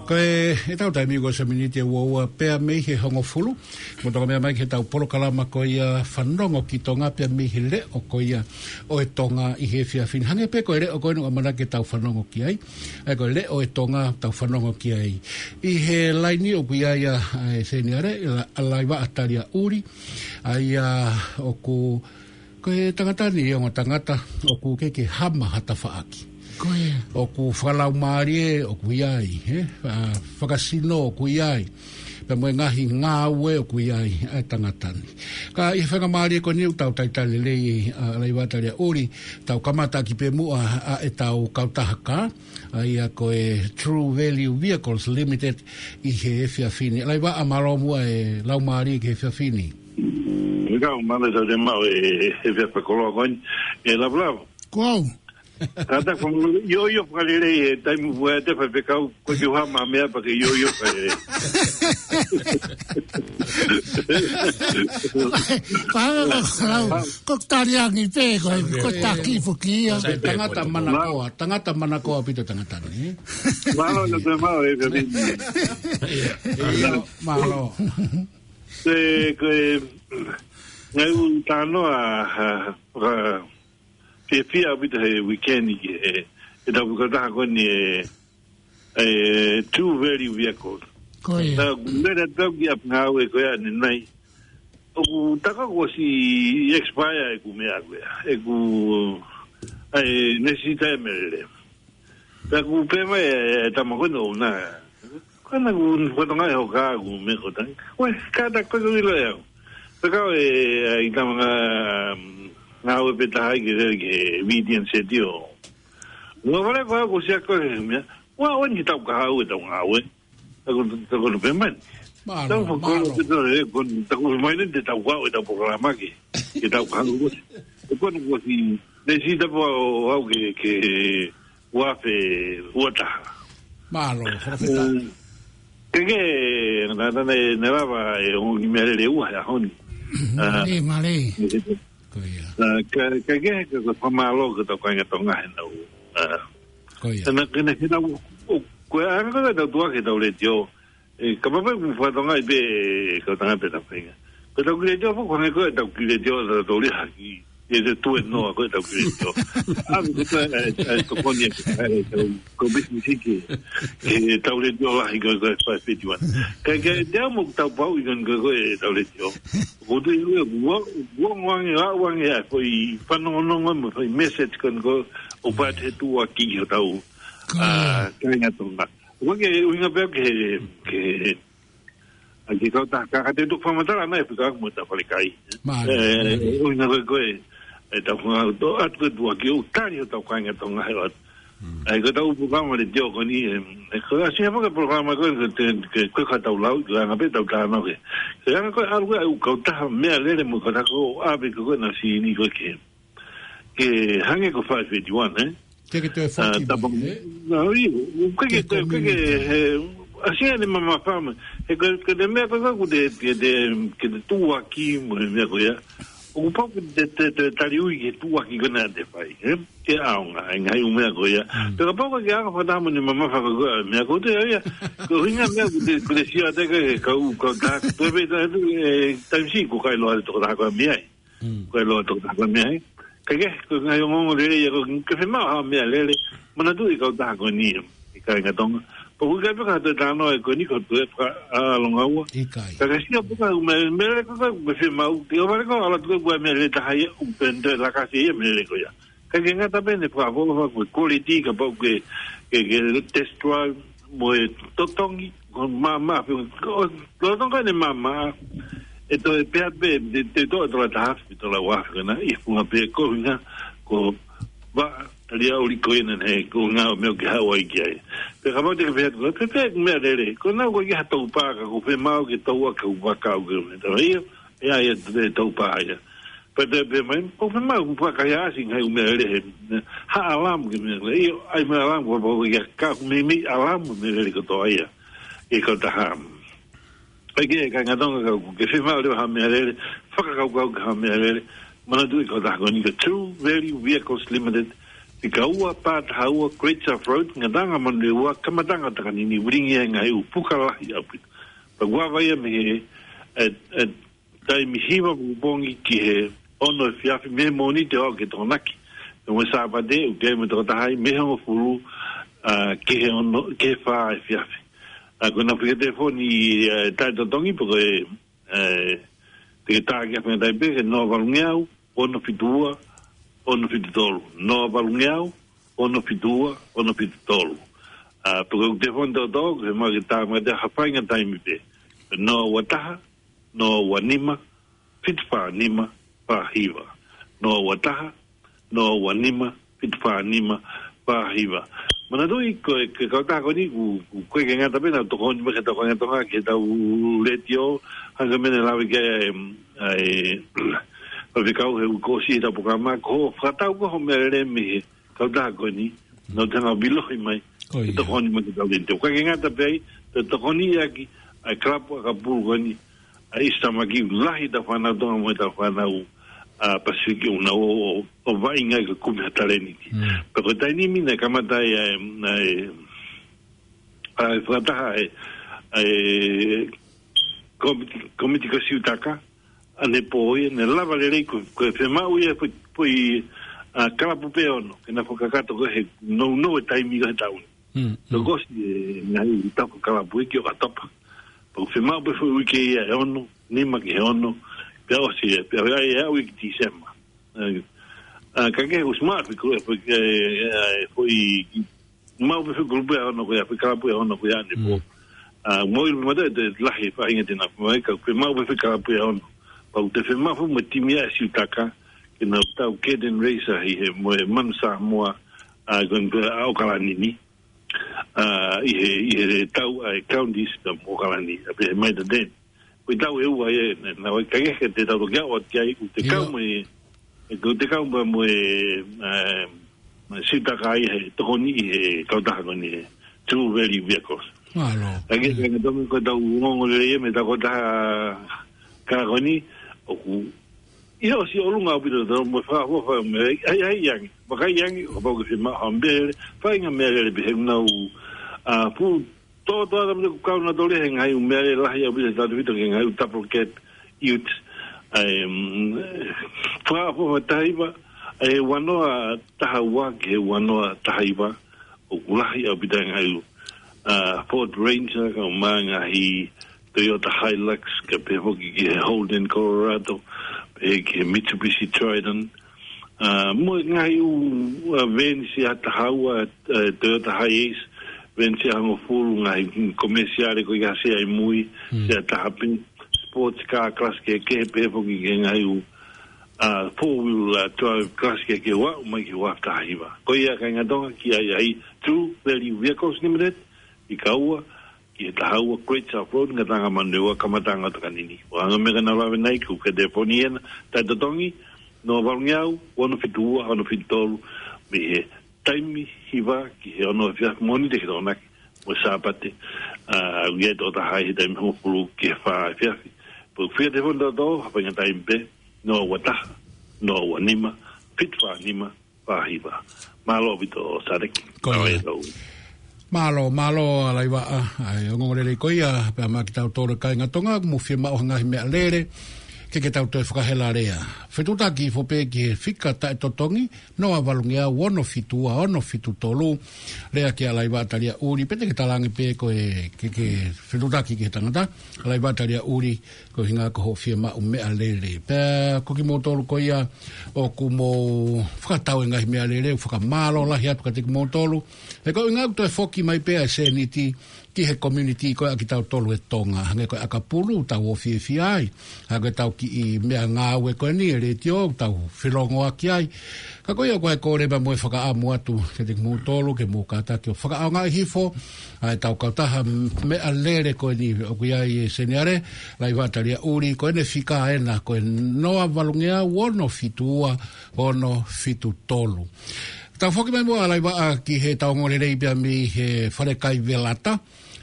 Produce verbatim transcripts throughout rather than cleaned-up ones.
Ko e, ʻetau taimi ko e miniti ʻe ua ua pea mei he hongofulu. Mo toka meʻa mai ki heʻetau polokalama ko ia Fanongo ki Tonga pea mei he leʻo ko ia ʻo e Tonga ʻi he efiafi ni. Hangē pē ko e leʻo ko eni ʻoku ʻamanaki ke tau fanongo ki ai. ʻA ia ko e leʻo ʻo e Tonga tau fanongo ki ai. ʻI he laini ʻoku ʻi ai ʻa, ʻa e seniale, ʻa, ʻa Laivaʻa Taliaʻuli. ʻA ia ʻoku Ko e tangata ni ʻi he ongo tangata, ʻoku ʻikai ke hama ha tafaʻaki. Ko ia. ʻOku fakalaumālie, ʻoku ʻi ai, he? ʻA, fakasino, ʻoku ʻi ai. Pea mo e ngaahi ngāue, ʻoku ʻi ai, ʻa e tangata ni. Ka ʻi he faingamālie ko eni ʻoku tau talitali lelei, ʻa, Laivaʻa Taliaʻuli, tau kamata ʻaki pē muʻa, ʻa, ʻetau kautaha kā, ʻa ia ko e True Value Vehicles Limited ʻi he efiafi ni. Laivaʻa, mālō muʻa e laumālie ki he efiafi ni. Ika, mālō e tau te mau e, e fia fakoloa ko eni. E love, love. Ko au. Tata ko io, io fakalelei e taimi ua te fai pekau, ko te hama meʻa pea ke io, io fakalelei. Ko au, ko au, ko Taliangi pē, ko, ko taki fuki ia. Sai, tangata manakoa, tangata manakoa pito tangata ni. Mālō, na te mau e, e, Ia, mālō. Ko e, ko e, ngaahi ʻū talanoa, ʻa, ʻa, fiefia ʻaupito he weekend ki he, he tau kautaha ko eni e, e True Value Vehicles. Ko ia. Na, mera tau ki ap ngāue ko ia ni nai. ʻOku taka kuo ʻosi expire ʻeku meʻa ko ia. ʻEku, ʻa e, nesita e melele. Pea ʻoku pehē mai e, e tama ko eni ʻoʻona. Ko ena ʻoku fatongia e hoka ʻoku meʻa ko tangi. Ue, kātaki ko e ʻilo ʻe au. Pea kau e, e, ʻi tama ngā, ngāue pē taha ʻi ke lele ki he Vidian Setio. Ua vale ko au ko sia ko e meʻa. Ua ʻoua ni ke tau kahaʻu ʻetau ngāue. Taku, taku no pehē mai. Mālō, Tau fakolo mālō. Ke tau e, ko, taku mai ni te tau kahaʻu ʻetau polokalama ke, ke tau kahaʻu. E ko ena kuo ʻosi, nesita pē au ke, ke, ua afe ua taha. Mālō, fakafetaʻi. Mm. Ke ke, na, na, na, na lava e ongo kiʻi meʻalele ua he ʻaho ni. Ah, Mālō, mālō. Ko ia. Ah, ka, ka ke, ka, ka fakamālō ki hotau kāinga Tonga he nau. Ah. Ko ia. Ka na, ka na, ka na, ʻo, ko e anga ko ē ʻetau tuʻu hake ʻetau letiō. E, ka papai ku fatongia pē, ka tanga pē ta fainga. Ko ʻetau kiʻi letiō, ko hangē ko ʻetau kiʻi letiō, ta tau lea haki. E te tue noa ko ʻetau kiʻi letiō. ʻA, ko ʻetau, e, e, tokoni e, e, tau, ko business ke, ke tau letiō lahi ko, ko e five fifty-one. Ka, ka, te amo tau pau i kon ko, ko ʻetau letiō. Ko tu i ue, ua, ua ngoange, ua ngoange, a, ko e fanongonongo, mo, ko e message kon ko, ʻo pat he tuʻuaki hotau, Ko ia. a, kāinga Tonga. Ko ke ʻuhinga pē ke, ke, a ke kau ta, ka, ka te tuku fakamatala mai, fika mo ta fale kai. Mālō, E, mālō. ʻuhinga ko e, ko e, e tau fanga, to, atu ko e tuʻuaki ʻo tali hotau kāinga Tonga he atu. Mm. ʻA ia ko ʻetau polokalama letiō ko eni, e, e, ko e ʻasi hapa ke polokalama ko e, ko e, ko e, ko e ka tau lau, ko e anga pē tau tānaki. Ko e anga ko e ʻalu ko e ʻū kautaha meʻalele mo e kautaha ko ʻave ko e na sini ko e ke. Ke hangē ko e five fifty-one, e? Ke ke toe Ah, foki tapa mai, e? Na, ui, ke ke, ke ke, he, ʻasi ʻene mamafa mai. He ko, ko e meʻa ko e ka ku te, ke te, ke te tuʻuaki mo e meʻa ko ia. ʻOku pau ke te, te, te tali ui ke tuʻuaki ko ena te fai, e? Ke ʻaonga, e ngaahi ʻū meʻa ko ia. Mm. Pea kapau ko e ke ʻaonga fakataha mo ʻene mamafa ko e meʻa ko e te ia. Ko e ʻuhinga meʻa ko e te, ko e te sio atu ke kau, kau ta, ko e pē ta, e, taimisi ko kai loa te tokotaha ko e meʻa ai. Mm. Ko e loa te tokotaha ko e meʻa ai. Ka ke, ko e ngaahi ongoongo lelei ia ko e ke fiemaʻu ha meʻalele. Manatuʻi e kautaha ko eni, e kāinga Tonga. Pea ʻoku ʻikai pē ka toe talanoa e ko eni ko e toe faka, a, longa ua. ʻIkai. Ka ke sio pē ka ʻū meʻa, meʻalele ko e, ko e fiemaʻu. Ke ʻohovale ko e ʻalu atu ko e meʻalele taha ia, ʻū pente lakasi ia meʻalele ko ia. Ka ke ngata pē ʻene fakaʻofoʻofa ko e quality kapau ke, ke, ke test drive mo e totongi, ko e maama, ko e totongi ʻene maama, ʻe toe pehē pē, te, te toe tola taha afe, tola ua afe ko ena, ʻi he funga pē ko e ʻuhinga, ko e vaʻa, talia ʻuli ko ena ne, ko e ʻuhinga ʻo e meʻa ke haʻu ai ki ai. Pea kapau te ke pehē, ko e pehē meʻalele, ko ena ko e ke ha tau pā ka ko e fiemaʻu ke tau aka ʻū vaka ʻū ke me tau ia, ʻe ai e tau pā ia. Pea te pehē mai, ʻoku fiemaʻu ke fakaiʻasi ngaahi ʻū meʻalele he, ha alarm ke meʻalele. ʻIo, ʻai meʻa alarm, ko e pau ia ka ʻoku meimei alarm meʻalele kotoa ia. ʻI he kautaha. ʻAi ke, kāinga Tonga ka ʻoku ke fiemaʻu leva ha meʻalele, fakakaukau ki ha meʻalele, manatuʻi e kautaha ko eni ko e True Value Vehicles Limited, Fika ua, pā taha ua, Great South Road, Ngataʻanga Manurewa, kamataʻanga ʻo Takanini, vilingia e ngaahi ʻū puka lahi ʻaupito. Pea ʻoku ava ia mei he, e, e, taimi hiva pongipongi ki he ono efiafi, mei he Mōnite ʻo aʻu ki he Tokonaki. Pea mo e Sāpate, ʻoku ʻi ai mo e tokotaha ai, mei he hongofulu, ā, ki he ono, ki he fā efiafi. Ā, ko ʻenau fika telefoni, ē, taʻetotongi, pe ko e, ē, te ke tā ki ai ha faʻahinga taimi pē, ke noa valungeau, ono fitu ua, ono fitu tolu. Noa valungeau, ono fitu ua, ono fitu tolu. Ā, pe ko e telefoni tōtō, ke ma ke tā mai ha faʻahinga taimi pē. Noa ua taha, noa ua nima, fitu fā nima, fā hiva. Noa ua taha, noa ua nima, fitu fā nima, fā hiva. Manatuʻi ko e, ko e kautaha ko eni, ʻoku, ʻoku ʻikai ke ngata pē ʻenau tokoni mai ki he Tokanga Tonga, ki heʻetau letiō, hangē ko e meʻa naʻe lave ki ai ʻa e, ʻa e, faifekau he uike kuo ʻosi heʻetau polokalama, ko e fakatau ko ē hoʻo meʻalele mei he kautaha ko eni, nau te hanga ʻo vīlohi mai, Ko ia. Tokoni mai ki heʻetau letiō. ʻOku ʻikai ke ngata pē ai, te tokoni ʻaki ʻa e kalapu ʻakapulu ko eni, ʻa e East Tamaki, lahi ʻetau fānau Tonga mo ʻetau fānau, ā, Pasifiki ʻoku nau ō, ō, ō vaʻinga ʻi he kumi ha talēniti. Mm. Pea ko e taimi ni naʻe kamata ai ʻa e, ʻa e, ʻa e fakataha ʻa e, ʻa e kōmiti, kōmiti ko Siutaka, ʻanepō ia, naʻe lava lelei ko, ko e fiemaʻu ia foʻi, foʻi, ā, kalapu pē ʻe ono, ke na fakakakato ko ē he nounou e taimi ko ē he taʻu ni. Mm, mm. Tokosiʻi e ngaahi tafa kalapu ia ki ʻOkatopa. Pea ʻoku fiemaʻu pē foʻi uike ia ʻe ono, nima ki he ono, pea ʻosi ia, pea ʻai ia ʻo aʻu ki Tīsema. Ā, ā, ka ke ʻosi maʻu pē ko e, ko e, ē, ē, foʻi, maʻu pē foʻi kalapu ʻe ono ko ia, foʻi kalapu ʻe ono ko ia ʻanepō. Mm. Ā, mo i mata e te lahi faʻahinga te na mai, ka ʻoku fiemaʻu pē foʻi kalapu ʻe ono. Pea ʻoku te fiemaʻu foʻi mo e timi ʻa Siutaka, ke nau tau Caden Racer ʻi he, mo e Manu Samoa, ā, ko eni ko ē ʻa ʻAokalani ni. Ā, ʻi he, ʻi he tau ʻa e Counties pea mo ʻAokalani, ʻa pē he mai ta ten. Ko e tau ʻe ua ia, naʻe, naʻe ʻikai ke te tau toki aʻu atu ki ai, ʻoku te Ia. kau mo e, ʻoku te kau mo e, mo e, ē, mo e Siutaka ia he tokoni ʻi he kautaha ko eni he True Value Vehicles. Mālō. Ka ke, Mm. ka ke tau ko ʻetau ongoongolelei ia mei he kautaha ko eni, ʻoku ʻi he ʻosi ʻolunga ʻaupito tau mo e fakaʻofoʻofa mo e ʻai, ʻai, ʻai ange. Vakai ange, ʻo kapau ʻoku ke fiemaʻu ha meʻalele, faʻahinga meʻalele pē he ʻoku nau, ā, fuʻu tōtō atu mo e kau nautolu he ngaahi ʻū meʻalele lahi ʻaupito he tautefito ki he ngaahi ʻū double cab ute. ʻA e, mm, fakaʻofoʻofa taha hiva, ʻa e ua noa taha ua ki he ua noa taha hiva, ʻoku lahi ʻaupito e ngaahi ʻū, ā, Ford Ranger, kaeʻumaʻā e ngaahi Toyota Hilux, kae pehē foki ki he Holden Colorado, pehē ki he Mitsubishi Triton. Ā, mo e ngaahi ʻū, ā, veni ʻe taha ua, ā, Toyota Hiace, veni ʻe hongofulu, ngaahi komesiale ko ia ʻoku ʻasi ai mui, Mm. ʻe taha pē, sports car class kehekehe, pehē foki ki he ngaahi ʻū, ā, four wheel, ā, drive class kehekehe ʻo aʻu mai ki he ua taha hiva. Ko ia kāinga Tonga ki ai ʻa e True Value Vehicles Limited, ʻi Kaua, ki he taha ua Great South Road, Ngataʻanga Manurewa, kamataʻanga ʻo Takanini. ʻO hangē ko e meʻa naʻa ku lave ki ai, ko e telefoni ena, taʻetotongi, noa valungeau, ono fitu ua, ono fitu tolu, mei he taimi hiva ki he ono efiafi Mōnite ki he Tokonaki, mo e Sāpate, ā, ʻoku ʻi ai e tokotaha he taimi hongofulu ki he fā efiafi. Pea ʻoku fika telefoni tōtō, ha faʻahinga taimi pē, noa ua taha, noa ua nima, fitu fā nima, fā hiva. Mālō ʻaupito Sāleki. Ko ia. Mālō e tau. Mālō, mālō ʻa Laivaʻa, ʻa e ongoongolelei ko ia, pea maʻa kitautolu kāinga Tonga, ʻoku mou fiemaʻu ha ngaahi meʻalele, ke ke tau toe fakahela lea. Fetuʻutaki hifo pē ki he fika taʻetotongi, noa valungeau ono fitu ua ono fitu tolu, lea kia Laivaʻa Taliaʻuli, pe te ke talaange pē ko e, ke, ke fetuʻutaki ki he tangata, Laivaʻa Taliaʻuli, ko e ʻuhinga ko hoʻo fiemaʻu meʻalele. Pea ko kimoutolu ko ia ʻoku mou fakatau e ngaahi meʻalele, ʻoku fakamālō lahi atu kiate kimoutolu. He ko e ʻuhinga ʻoku toe foki mai pē ʻa e sēniti ki he community ko ē ʻa kitautolu ʻi Tonga. Hangē ko e ʻakapulu, tau ō fiefia ai. Hangē ko ʻetau kiʻi meʻangāue ko eni ʻa e letiō, tau felōngoaki ai. Ka ko ia ko e kole pea mo e fakaʻamu atu kiate kimoutolu, ke mou kātaki ʻo fakaʻaongaʻi hifo ʻa ʻetau kautaha meʻalele ko eni ʻoku ʻi ai e seniale, Laivaʻa Taliaʻuli, ko ʻene fika ena ko e noa valungeau ono fitu ua ono fitu tolu. Tau foki mai muʻa Laivaʻa ki heʻetau ongoongolelei pea mei he falekai Velata,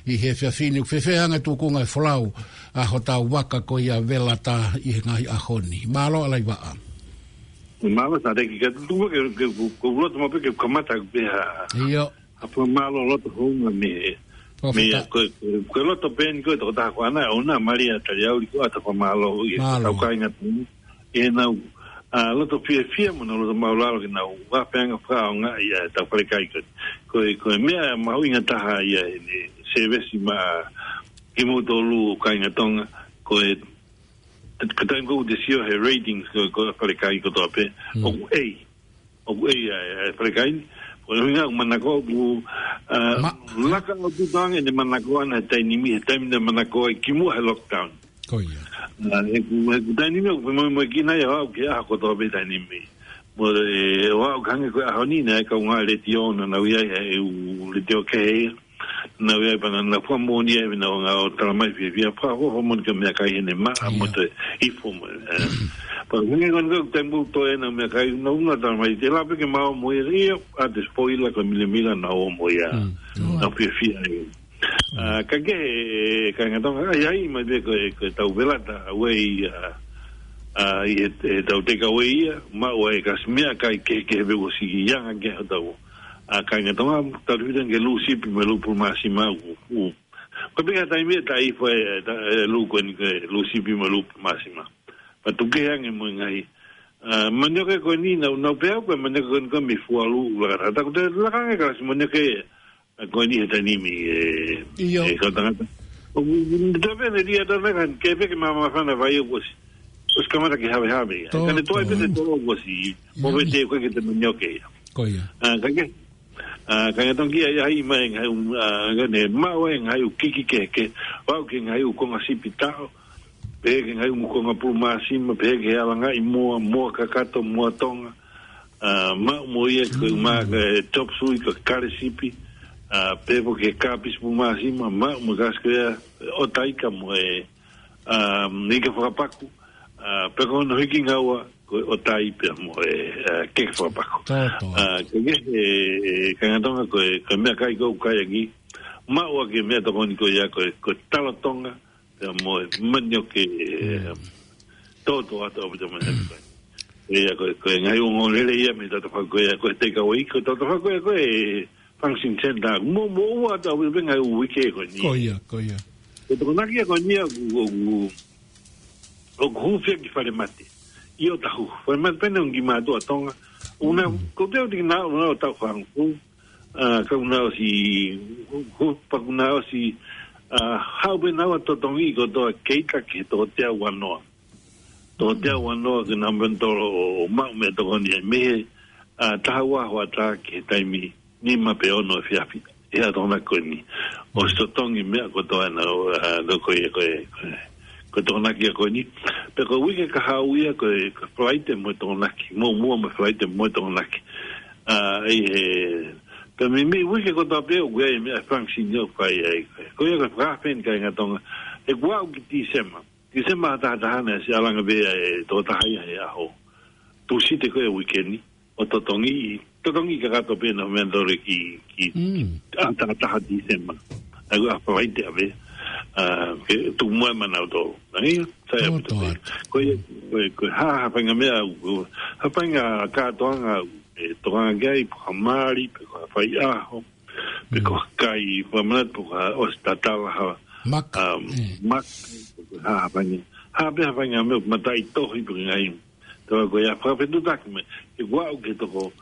ʻi he efiafi ni, ʻoku fēfē ange tūkunga e folau ʻa hotau vaka ko ia Velata ʻi he ngaahi ʻaho ni. Mālō ʻa Laivaʻa. Mālō, Sāteki, ka tuku ke, ke, ke, ko e loto maʻu pē ke kamata pē ha, ʻIo. ha fakamālō loto hounga mei, mei Professor. ko, ko, ko e loto pē eni ko e tokotaha ko ena, ʻoua naʻa mālie ʻa Taliauli, ko ʻata fakamālō ʻi he Mālō. tau kāinga tonu. ʻI heʻenau, ʻa, loto fiefia mo ʻenau loto māʻulalo ke nau ʻapiange fakaʻaongaʻi ʻa e tau falekai ko, ko, ko e meʻa mahuʻinga taha ia ʻi he sēvesi maʻa kimoutolu kāinga Tonga, ko e, ko e taimi ko ē te sio he ratings ko, ko e falekai kotoa pē, Mm. ʻoku ʻei, ʻoku ʻei ʻa e, ʻa e falekai ni, ko e ʻuhinga ʻoku manako ʻoku, ʻa, Ma- laka ʻo tuʻu ange ʻene manako ʻana he taimi ni, he taimi naʻe manako ai kimuʻa he lockdown. Ko ia. ʻA, he ʻoku, he ʻoku taimi ni ʻoku fai mo, mo kina ia ʻoku ke ʻaho kotoa pē taimi ni. Mo e, ʻoku hangē ko e ʻaho ni naʻe kaungā letiō naʻa nau ʻi ai he ʻū letiō kehe ia. Naʻa nau ʻi ai pē naʻa nau fakamoʻoni ai naʻa nau ngā ʻo talamai fiefia fakaʻofoʻofa moʻoni ki he meʻakai heʻene maʻa Ia. mo e ifo mo, ē. Pea hangē ko eni ko e taimi ʻoku toe ʻenau meʻakai naʻa nau talamai te lava pē ke mau ō mo ia, ʻio, ʻa e spoiler ko e milemila naʻa nau ō mo ia. Mm. Naʻa nau fiefia ai. ʻA, ka ke he, kāinga Tonga, ʻa ia ʻi mai pē ko e, ko e tau velata, ʻa, wei, ʻa, ʻa, ʻi he, he tau take away ia, maʻu ai e kasi meʻakai kehekehe pē ʻosi ʻi anga ke he tau. ʻA, kāinga Tonga, tau fita ke lū sipi mo e lū pulu māsima ʻoku, ʻoku. Ko e pē ka taimi ʻe taʻi fai, ʻe, ta-, ʻe lū ko eni ko e lū sipi mo e lū pulu māsima. Pea tuku kehe ange mo e ngaahi. ʻA, manioke ko eni, naʻa, naʻa pehē au ko e manioke ko eni ko e mei Fualu, laka tata, ko e laka ange kalasi manioke, ʻa, ko eni he taimi ni, ʻe, ʻIo. ʻe kau tangata. ʻO, ʻo, ʻo, tape ne lia tana kan, ke peke mama fana vai ʻoku ʻosi. ʻOsi kamata ke havehave ia. Tō, Ka ne toe tō. pē te tō ʻoku ʻosi. Mo Ia. pe te koe ke te manioke ia. Ko ia. ʻA, ka ke, ʻa, ka ke tongi ai, ai mai ngaahi ʻū, ʻa, ka ne maʻu ai ngaahi ʻū kiki kehekehe. Vau ki he ngaahi ʻū konga sipi taʻo. Pehē ki he ngaahi ʻū konga pulu māsima, pehē ki he alangaʻi moa, moa kakato, moa Tonga. ʻA, maʻu mo ia ko e Mm. maka e chop suey ko e kale sipi. ʻA, pehē foki ki he kāpisi pulu māsima, maʻu mo e kasi ko ia, ʻotaika mo e, ʻa, ika fakapaku. ʻA, pea ko hono hiki ngaua, ko e ʻotai pea mo e, ʻa, keke fakapaku. Tō, tō. ʻA, ko e, e, e, kāinga Tonga ko e, ko e meʻakai ko ē ʻoku kai ange. Maʻu ʻaki e meʻatokoni ko ia ko e, ko e talo Tonga, pea mo e manioke, e, Mm. tōtōatu ʻaupito mo e Mm. ko e. Ia ko e, ko e ngaahi ongoongolelei ia mei Tatafaku ia, ko e take away, ko Tatafaku ia, ko e function center. Mo, mo ua atu ʻaupito pē ngaahi uike ko eni. Ko ia, ko ia. Ko e Tokonaki ia ko eni ia, ʻoku, ʻoku, ʻoku hūfia ki Falemate. ʻI ʻOtahuhu. Falemate pē ʻoku nau ki mātuʻa Tonga. ʻUna, Mm. ko te au tiki nā, ʻuna ʻo tau fāngu. ʻA, ka ʻuna ʻosi, hu-, hu-, pea ʻuna ʻosi, ʻa, haʻu pē naua totongi kotoa keita ki he toko teau ua noa. Toko teau ua noa ke nau meni tolo ʻo, ʻo maʻu meʻatokoni ai mei he, ʻa, taha ua hoʻatā ki he taimi nima pe ono efiafi. ʻI he ʻaho Tokonaki ko eni. ʻOsi totongi meʻa kotoa ʻenau, ʻa, ko, ko e, ko e, ko e, ko e Tokonaki ia ko eni. Pea ko e uike kahaʻu ia ko e, ko e Falaite mo e Tokonaki. Mo, mo, mo e Falaite mo e Tokonaki. ʻA, ʻi he, pea mei, mei he uike kotoa pē ʻoku ʻi ai e meʻa function ʻoku fai ai. Ko ia ko e fakaafe eni kāinga Tonga. ʻE kuo aʻu ki Tīsema. Tīsema ʻa taha taha naʻe siʻi ʻalu ange pē ʻa e tokotaha ia he ʻaho Tūsite ko e uike ni. ʻO totongi, totongi kakato pē naʻa nau meni tolo ki, ki, Mm. ʻa taha taha Tīsema. ʻA ia ko e Falaite ʻa pē. ʻA, ke tuku mai ʻa mautolu. ʻA ia, sai Tō, ʻaupito tō pē. atu. Ko ia, ko ia, ko e hā, hā faʻahinga meʻa, ko e hā faʻahinga kātoanga, ʻe tokanga ki ai, pe ko ha mali, pe ko ha faiʻaho, pe ko Mm. ha kai, fakamanatu, pe ko ha ʻosi tatala, ha, Maka. um, Mm. maka, pe ko ha, hā faʻahinga, hā pē hā faʻahinga meʻa, mataʻitohi, pe ko e ngaahi. Tau ko ia, fakafetutaki mai, ʻe kuo aʻu ki he toko,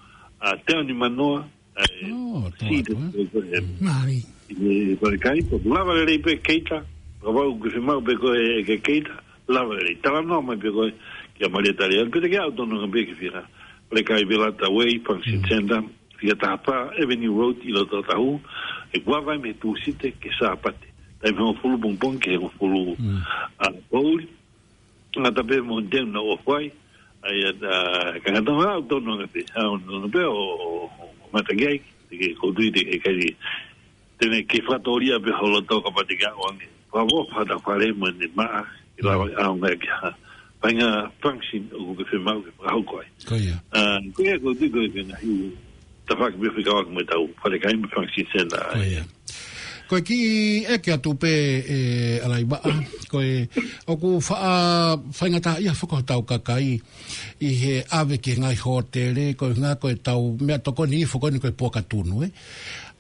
ʻa, teau nimanoa, ʻa e, Oh, tō si atu, te, ē? ko e, Mālie. ʻe, ko e kai, ko e lava lelei pē keita, ka vau ke fiemaʻu pē ko e ke keita, lava lelei. Talanoa mai pē ko e, kia Malia Taliauli, pea te ke aʻu tonu ange pē ki he fika. Falekai Velata Way, Function Mm. Center, fika taha fā, Avenue Road, ʻi loto Ōtahuhu, ʻe kuo vai mei he Tūsite ki he Sāpate. Taimi hongofulu pongipongi ki he hongofulu, Mm. ʻa, poʻuli. Ngata pē mo teu na o fai. ʻA ia, ʻa, kāinga Tonga, aʻu tonu ange pē, aʻu tonu pē ʻo, ʻo, ʻo mata ki ai, te ke kotui te ke kai, te ne ke fakatōlia pē ho loto kapau te ke aʻu ange. Fakafo fata fale mo ne maʻa, ʻi lava Mm. ʻaonga ki ha. Faʻahinga function ʻoku ke fiemaʻu ke fakahoko ai. Ko ia. ʻA, ko ia ko e tui ko e ke na hiu. Tafaʻaki pē fekauʻaki mo e tau falekai mo e function center. Ko ia. Ko e kiʻi ʻeke atu pē, ē, ʻAlaivaʻa, ko e, ʻoku faʻa, faingataʻaʻia foki hotau kakai ʻi he ʻave ki he ngaahi hōtele, ko e ʻuhinga ko ʻetau meʻatokoni foki eni ko e puaka tunu, ē.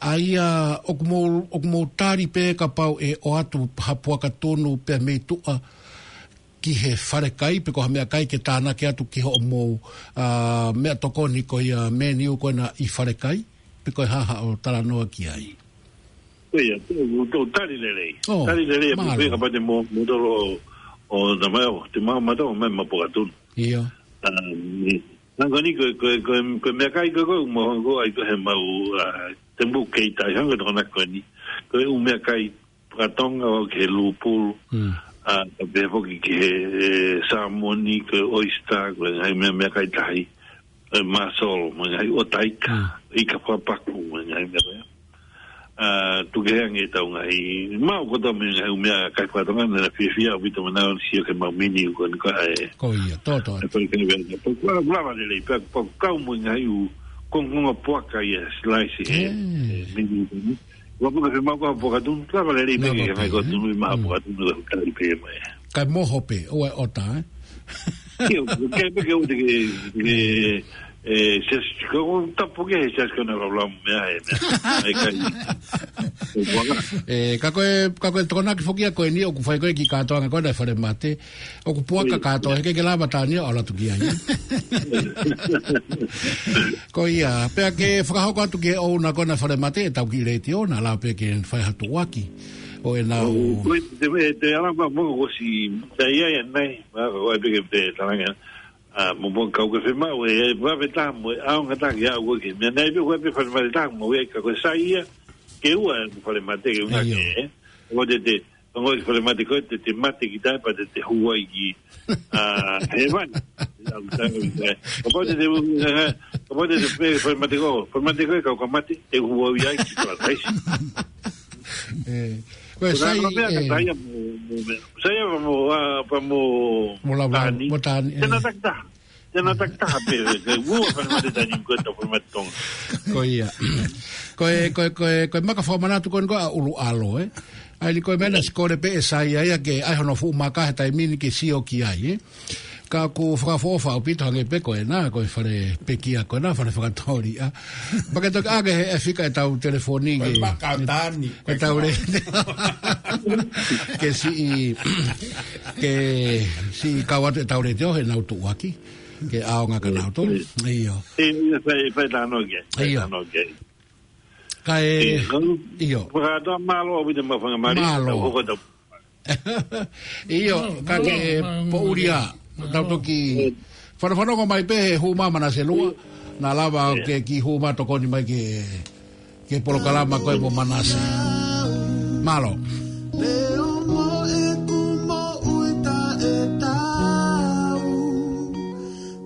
ʻA ia, ʻoku mou, ʻoku mou tali pē kapau ʻe ʻoatu ha puaka tunu pea mei tuʻa ki he falekai, pe ko ha meʻakai ke tānaki atu ki hoʻomou, ā, meʻatokoni ko ia menu ko ena ʻi falekai, pe ko e hā haʻo talanoa ki ai. Ko ia, tau, tau tali lelei. Oh, tali lelei, mālō. Pea kapau te mou, mou tolo ʻo, ʻo, na mai ʻo, te mau mata ʻo mai ma puaka tunu. ʻIo. Ā, ni, nanga ni ko, ko, ko, ko e meʻakai ko, ko, mo, ko, ʻai ko he mau, ā, te mou kei tai, hanga tokona ko eni. Ko e ʻū meʻakai, Pakatonga ʻo ki he lupulu, Mm. ā, ka pehē foki ki he, ē, sāmoni, ko e oyster, ko e ngaahi meʻa, meʻakai tahi, ē, masolo, mo e ngaahi ʻotaika, Mm. ika papaku, mo e ngaahi meʻa ko ia. Ā, tuku kehe ange ʻetau ngaahi, mau kotoa mo e ngaahi ʻū meʻakai pakatonga, naʻe fiefia ʻaupito mo nau sio ki he mau menu ko eni ko ē. Ko ia, tō, tō. Ē, ko e kene vea, ko e kula, kula vale lei, pea, pea kau mo e ngaahi ʻū kongokonga puaka ia, slice, ē, Ē. ē, menu ko eni. Ua puka ke mau ka puaka tunu, ka vale lei Nā peke, ka mai ko tunu, ma Mm. puaka tunu, ka kali pē mai. Kai moho pē, ʻo e ʻota, ē? Kio, ke peke ʻo te ke, ke, ē, siasi, ko, ko tapu ke he siasi ko na lau lau mea, ē, mea. Ai kai. Ko puaka. Ē, ka ko e, ka ko e tokonaki foki ʻa ko eni ʻoku fai ko ē ki he kātoanga ko ena ʻa e fale mate. ʻOku puaka Ē. kātoa, he ʻikai ke lava tānia ʻo ʻalu atu ki ai. Ko ia, pea ke fakahoko atu ki he ʻouna ko ena fale mate, ʻetau kiʻi letiō, naʻa lava pē ke fai ha tuʻuaki. ʻO ʻenau ʻO, ko e, te, te ala ma mo ko si, ta ia ia nai, ma ko e peke pe talanga. Ā, mo mo kau ke fe mau, ē, ē, vave tā mo, ʻaonga tā ki au ko ke. Mea nai pe ko e pe fale mate tā mo, ē, ka ko e sai ia, ke ua, fale mate ke una ʻIo. ke, ē. Ko te te, Ongo i fale mate ko e te, te mate ki tai, pea te, te huai ki, ā, hēvani. Kapau te, te, kapau te, te, fale mate ko, fale mate ko e kau ka mate, te huai ai ki Paradise. Ē, ko e Ko sai, nā mea ka ē. sai ia mo, mo, mo, sai ia mo, ā, pa mo, Mo lau, Tani. mo Tani, ē. Tena takitaha. Tena takitaha pē, ke ua fale mate Tani ko e tau fale mate Tonga. Ko ia. Ko e, ko e, ko e, ko e maka fakamanatu ko eni ko ē ʻa ʻUluʻalo, ē. ʻA ia ni ko e meʻa naʻe sikole pē ʻe sai ai ke ʻai hono fuʻu maka he taimi ni ke sio ki ai, ē. Ka ʻoku fakaʻofoʻofa ʻaupito hangē pē ko ena, ko e fale pekia ko ena, fale fakatōliʻa. Pea ke toki ʻai ke he ʻe fika ʻetau telefoni Ko e ke, maka Tani. ke tau le-, ke siʻi, ke siʻi kau atu ʻetau letiō heʻenau tuʻuaki. Ke ʻaonga ka nau tō. ʻIo. ʻIo, fai, fai tano ke. Fai ʻIo. tano ke. Ka e, ʻIo. ʻio. Fakatoa mālō ʻaupito mo e fanga mali. Mālō. Tau hoko tau. ʻIo, ka ke poʻuli ā, tau toki fanafanongo mai pē he hū mā Manase lua, naʻa lava ke kiʻi hū mā tokoni mai ke, ke polokalama ko ē mo Manase. Mālō. Leo mo ʻeku moʻui taʻetau.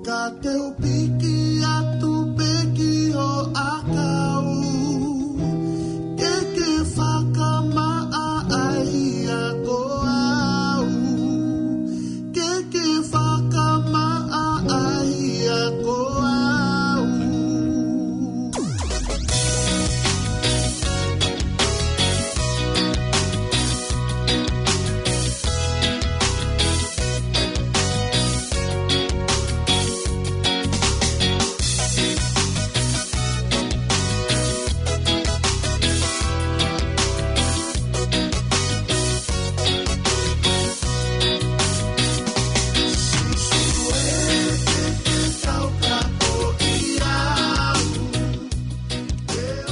Ka te u piki atu pē ki ho ʻakau, ke ke fakamaʻa ai ʻa ko au, ke ke fakamaʻa ai ʻa ko au.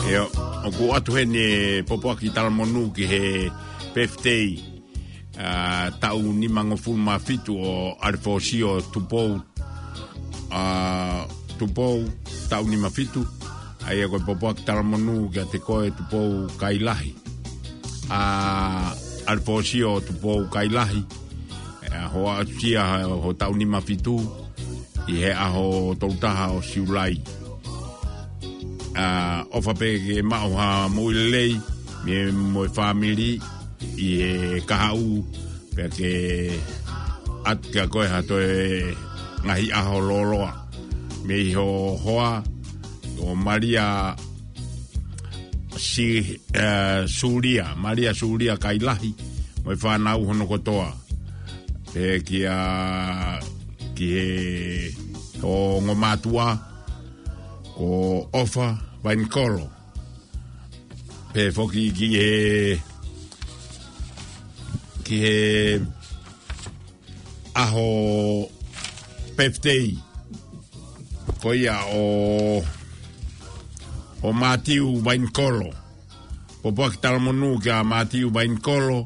ʻIo, ʻoku ʻoatu heni e pōpoaki talamonū ki he birthday, ā, taʻu nimangofulu mā fitu ʻo ʻAlefōsio Tupou, ā, Tupou, taʻu nima fitu, ʻa ia ko e pōpoaki talamonū kiate koe Tupou Kailahi. Ā, ʻAlefōsio Tupou Kailahi, ē, hoʻo aʻusia ho taʻu nima fitu, ʻi he ʻaho tolu taha ʻo Siulai. Ā, ʻofa pē ke maʻu ha moʻui lelei, mei he mo e fāmili, ʻi he kahaʻu, pea ke ʻatu kia koe ha toe ngaahi ʻaho lōloa. Mei ho hoa, ko Malia Si, ē, Sulia, Malia Sulia Kailahi, mo e fānau hono kotoa. Pehē kia, ki he ongo mātuʻa, ko ʻOfa Vainikolo. Pehē foki ki he, ki he ʻaho birthday ko ia ʻo, ʻo Mātiu Vainikolo. Pōpoaki talamonū kia Mātiu Vainikolo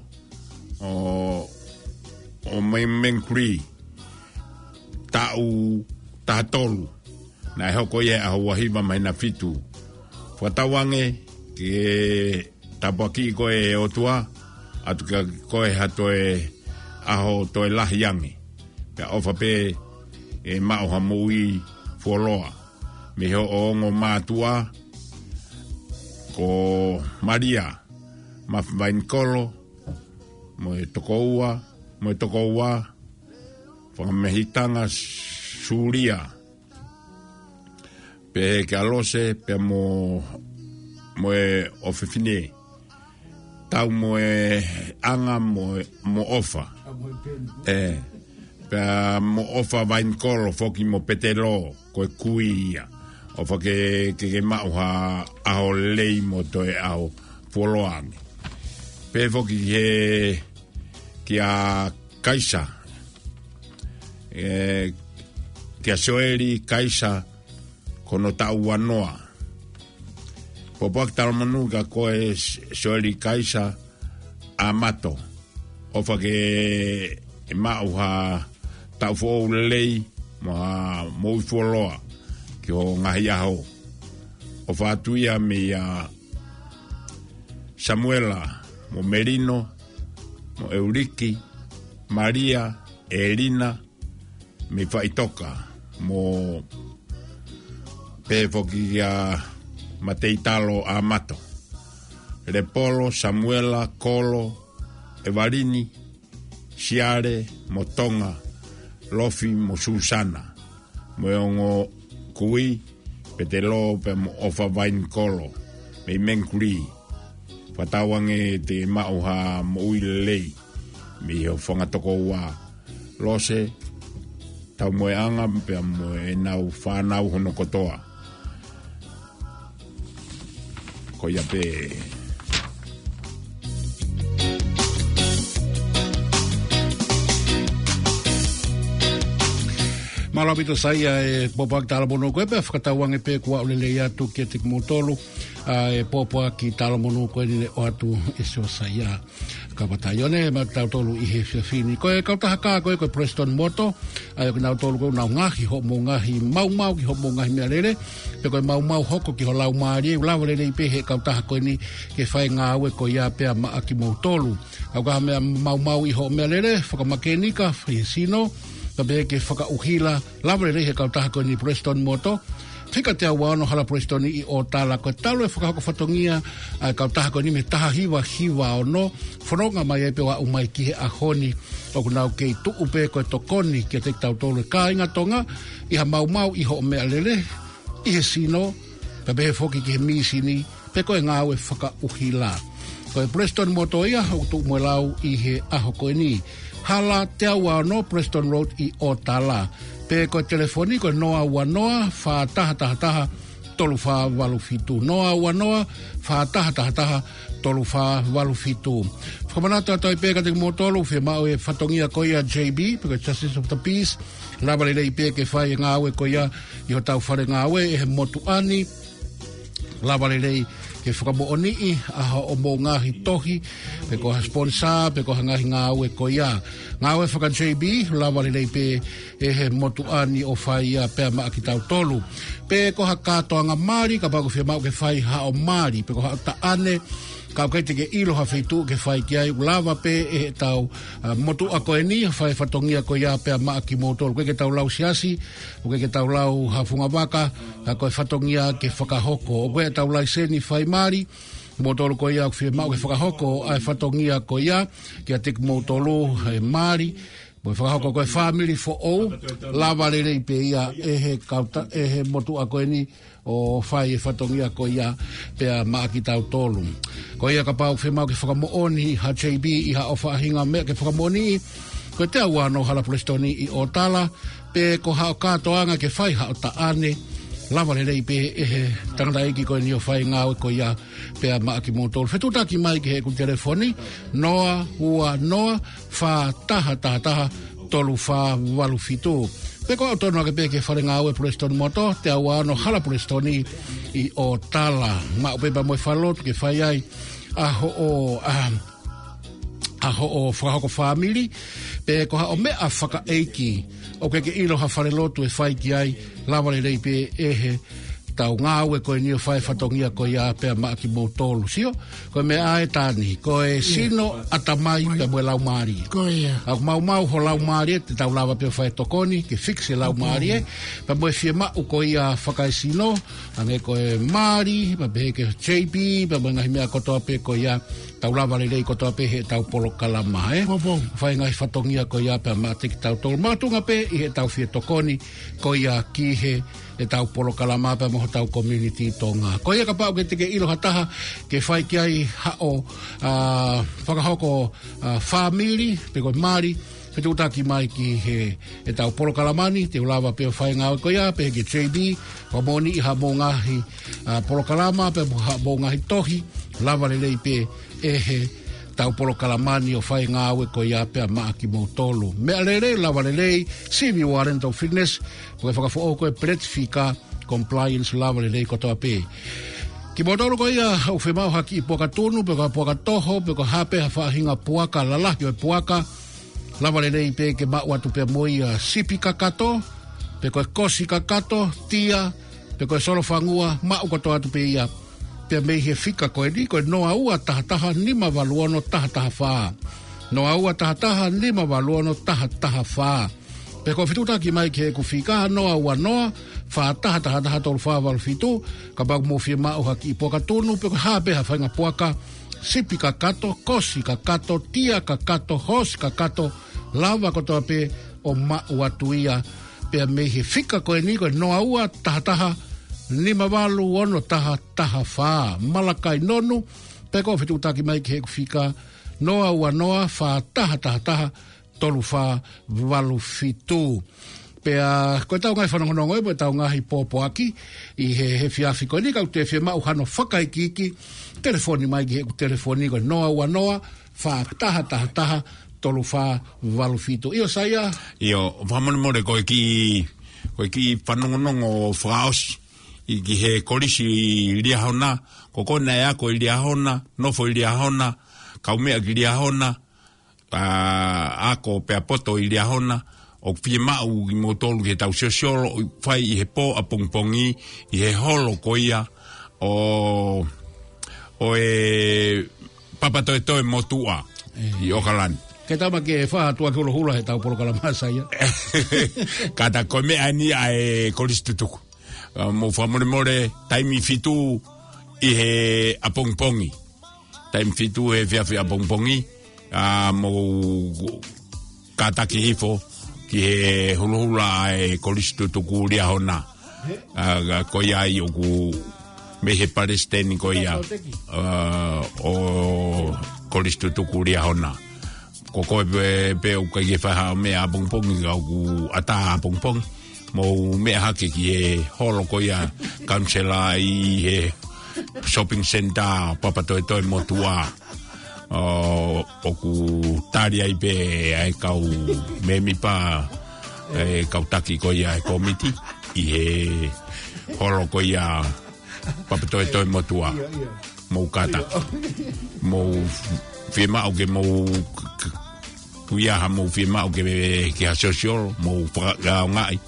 ʻo, ʻo Mei-, Mengkuli, taʻu taha tolu. Naʻe hoko ia he ʻaho ua hiva māhina fitu. Fakatauange ke tāpuakiʻi koe ʻe he ʻOtua, ʻatu kia koe ha toe ʻaho toe lahi ange. Pea ʻofa pē ke maʻu ha moʻui fuoloa. Mei hoʻo ongo mātuʻa, ko Malia Mafi Vainikolo, mo e tokoua, mo e tokoua, Fakamehitanga Sulia, pehē kia Lose, pea mo, mo e ʻofefine, Taumoeʻanga mo, mo ʻOfa. Ē, pea mo ʻOfa Vainikolo foki mo Petelo, ko e kui ia. ʻOfa ke, ke, ke maʻu ha ʻaho lelei mo toe ʻaho fuoloa ange. Pehē foki he, kia Kaisa. Ē, kia Soeli Kaisa, ko hono taʻu ua noa. Pōpoaki talamonū kia koe S-, Soeli Kaisa ʻAmato. ʻOfa ke maʻu ha taʻu foʻou lelei mo ha moʻui fuoloa ki hoʻo ngaahi ʻaho. ʻOfa atu ia meia Samuela, mo Melino, mo Euliki, Malia, Elina, mei Faʻitoka, mo pehē foki kia Mateitalo ʻAmato. Lepolo, Samuela, Kolo, Evalini, Siale, mo Tonga, Lofi, mo Susana, mo e ongo kui, Petelo, pea mo ʻOfa Vainikolo, mei Mengkuli. Fakatauange te maʻu ha moʻui lelei mei hoʻo fanga tokoua Lose, Taumoeʻanga, pea mo ʻenau fānau hono kotoa. Ko ia pē. Mālō ʻaupito Saia e pōpoaki talamonū ko ē, pea fakatauange pē kuo aʻu lelei atu kiate kimoutolu ʻa e pōpoaki talamonū ko eni ne ʻoatu ʻe Siosaia Kapataione maʻa kitautolu ʻi he efiafi ni. Ko e kautaha kā ko ē ko e Preston Motor, ʻa ia ko kinautolu ko ē ʻoku nau ngaohi hoʻomou ngaahi maumau ki hoʻomou ngaahi meʻalele, pe ko e maumau hoko ki ho laumālie, ʻoku lava lelei pē he kautaha ko eni ke fai e ngāue ko ia pea maʻa kimoutolu. ʻOku ʻi ai ha meʻa maumau ʻi hoʻo meʻalele, fakamakēnika, fai he sino, pea pehē ki he fakaʻuhila, lava lelei he kautaha ko eni Preston Motor, fika teau ua ono Hala Preston ʻi ʻOtala. Ko e talu e fakahoko fatongia ʻa e kautaha ko eni mei he taha hiva hiva ono, fononga mai ai pē ʻo aʻu mai ki he ʻaho ni, ʻoku nau kei tuʻu pē ko e tokoni kiate kitautolu e kāinga Tonga, ʻi ha maumau ʻi hoʻo meʻalele, ʻi he sino, pea pehē foki ki he mīsini, pe ko e ngāue fakaʻuhila. Ko e Preston Motor ia ʻoku tuʻu mo e lau ʻi he ʻaho ko eni. Hala teau ua ono Preston Road ʻi ʻOtala. Pe ko e telefoni ko e noa ua noa, fā taha taha taha, tolu fā valu fitu. Noa ua noa, fā taha taha taha, tolu fā valu fitu. Fakamanatu atu ai pē kiate kimoutolu, fiemaʻu e fatongia ko ia J B, pe ko e Justice of the Peace, lava lelei pē ke fai e ngāue ko ia ʻi hotau fale ngāue ʻi he motuʻa ni, lava lelei ke fakamoʻoniʻi ʻa hoʻomou ngaahi tohi, pe ko ha sponsor, pe ko ha ngaahi ngāue ko ia. Ngāue faka-J B, lava lelei pē ʻe he motuʻa ni ʻo fai ia pea maʻa kitautolu. Pe ko ha kātoanga mali, kapau ʻoku fiemaʻu ke fai haʻo mali, pe ko haʻo taʻane, ka ʻoku ʻikai te ke ʻilo ha feituʻu ke fai ki ai, ʻoku lava pē ʻe heʻetau, ʻa, motuʻa ko eni, fai fatongia ko ia pea maʻa kimoutolu. ʻOku ʻikai ke tau lau siasi, ʻoku ʻikai ke tau lau ha funga vaka, ka ko e fatongia ke fakahoko. ʻOku ʻi ai ʻetau laiseni fai mali, moutolu ko ia ʻoku fiemaʻu ke fakahoko ʻa e fatongia ko ia, kiate kimoutolu he mali, Ko e fakahoko ko e fāmili foʻou, lava lelei pē ia ʻe he kauta, ʻe he motuʻa ko eni ʻo fai e fatongia ko ia pea maʻa kitautolu. Ko ia kapau ʻoku fiemaʻu ke fakamoʻoni ha J B ʻi haʻo faʻahinga meʻa ke fakamoʻoniʻi, ko e teau ua noa Hala Pulesitoni ʻi ʻOtala, pe ko haʻo kātoanga ke fai haʻo taʻane, lava lelei pē ʻe he tangataʻeiki ko eni ʻo fai ngāue ko ia pea maʻa kimoutolu. Fetuʻutaki mai ki heʻeku telefoni, noa ua noa, fā taha taha taha, tolu fā valu fitu. Pe ko haʻo tonu ake pē ki he fale ngāue Pulesitoni Motor, teau ua ono Hala Pulesitoni ʻi ʻOtala. Maʻu pē pea mo e falelotu ke fai ai ʻa hoʻo, ʻa, ʻa hoʻo fakahoko fāmili, pe ko haʻo meʻa fakaʻeiki, ʻoku ke ʻilo ha falelotu ʻe fai ki ai, lava lelei pē ʻe he tau ngāue ko eni ʻo fai fatongia ko ia pea maʻa kimoutolu. Sio, ko e meʻa ʻe taha eni, ko e sino, ʻatamai pea mo e laumālie. Ko ia. ʻOku maumau ho laumālie, te tau lava pē ʻo fai tokoni ke fix e laumālie, pea mo e fiemaʻu ko ia fakaesino, hangē ko e mali, pea pehē ki he J B, pea mo e ngaahi meʻa kotoa pē ko ia, tau lava lelei kotoa pē heʻetau polokalama, ē? Fai ngaahi fatongia ko ia pea maʻa kitautolu. Makatuʻunga pē ʻi heʻetau fie tokoni ko ia ki he ʻetau polokalama pea mo hotau community Tonga. Ko ia kapau ʻoku ke ʻilo ha taha ke fai ki ai haʻo, ʻa, fakahoko, ʻa, fāmili, pe ko e mali, fetuʻutaki mai ki he ʻetau polokalama ni, te u lava pē ʻo fai ngāue ko ia, pehē ki he J B, fakamoʻoniʻi haʻamou ngaahi, ʻa, polokalama, pea mo haʻamou ngaahi tohi, lava lelei pē ʻe he tau polokalama ni ʻo fai ngāue ko ia pea maʻa kimoutolu. Meʻa lelei, lava lelei, sivi ua rental fitness, ko e fakafoʻou ko e peleti fika, compliance lava lelei kotoa pē. Kimoutolu ko ia ʻoku fiemaʻu ha kiʻi puaka tunu, pe ko ha puaka toho, pe ko e hā pē ha faʻahinga puaka lalahi ʻo e puaka, lava lelei pē ke maʻu atu pē mo ia sipi kakato, pe ko e kosi kakato, tia, pe ko e solofangua, maʻu kotoa atu pē ia. Pea mei he fika ko eni, ko e noa ua taha taha nima valu ono taha taha fā. Noa ua taha taha nima valu ono taha taha fā. Pe ko e fetuʻutaki mai ki heʻeku fika, noa ua noa, fā taha taha taha, tolu fā valu fitu, kapau ʻoku mou fiemaʻu ha kiʻi puaka tunu, pe ko e hā pē ha faʻahinga puaka, sipi kakato, kosi kakato, tia kakato, hoosi kakato, lava kotoa pē ʻo maʻu atu ia. Pea mei he fika ko eni, ko e noa ua taha taha nima valu ono taha taha fā. Malakai Nonu, pe ko e fetuʻutaki mai ki heʻeku fika, noa ua noa, fā taha taha taha, tolu fā valu fitu. Pea ko ʻetau ngaahi fanongonongo ē, mo ʻetau ngaahi pōpoaki ʻi he, he efiafi ko eni, kapau ʻoku ke fiemaʻu hano fakaikiiki, telefoni mai ki heʻeku telefoni ko e noa ua noa, fā taha taha taha, tolu fā valu fitu. ʻIo, Saia? ʻIo, fakamolemole ko e kiʻi, ko e kiʻi fanongonongo fakaʻosi ʻi ki he kolisi ʻi Liahona, ko kona ʻe ako ʻi Liahona, nofo ʻi Liahona, kaumeʻa ki Liahona, ʻa, ako pea poto ʻi Liahona, ʻoku fiemaʻu kimoutolu ke tau siosiolo, ʻo fai ʻi he pō ʻapongipongi, ʻi he holo ko ia ʻo, ʻo e Papatoetoe Motuʻa, ʻi ʻOkalani. Ke tama ke fā atu ake holoholo heʻetau polokalama, Saia. Kātaki, ko e meʻa eni ʻa e kolisi tutuku. ʻA, mou fakamolemole, taimi fitu ʻi he ʻapongipongi. Taimi fitu he efiafi ʻapongipongi, ʻa, mou kātaki hifo ki he holoholo ʻa e kolisi tutuku Liahona. ʻA, ko ia ai ʻoku mei he palesiteni ko ia, ʻa, ʻo kolisi tutuku Liahona. Ko koe pē, pē ʻoku ʻikai ke fai haʻo meʻa ʻapongipongi, ka ʻoku ʻatā ʻapongipongi. Mou meʻa hake ki he holo ko ia, kaunisela ʻi he shopping centre Papatoetoe Motuʻa. ʻO, ʻoku tali ai pē ʻa e kau mēmipa, ʻa e kau taki ko ia ʻa e kōmiti ʻi he holo ko ia Papatoetoe Motuʻa. ʻIo, ʻio. Mou kātaki. ʻIo. Mou fiemaʻu ke mou k-, k-, ko e hā mou fiemaʻu ke, ke ha siosiolo, mou faka-, ʻaongaʻi.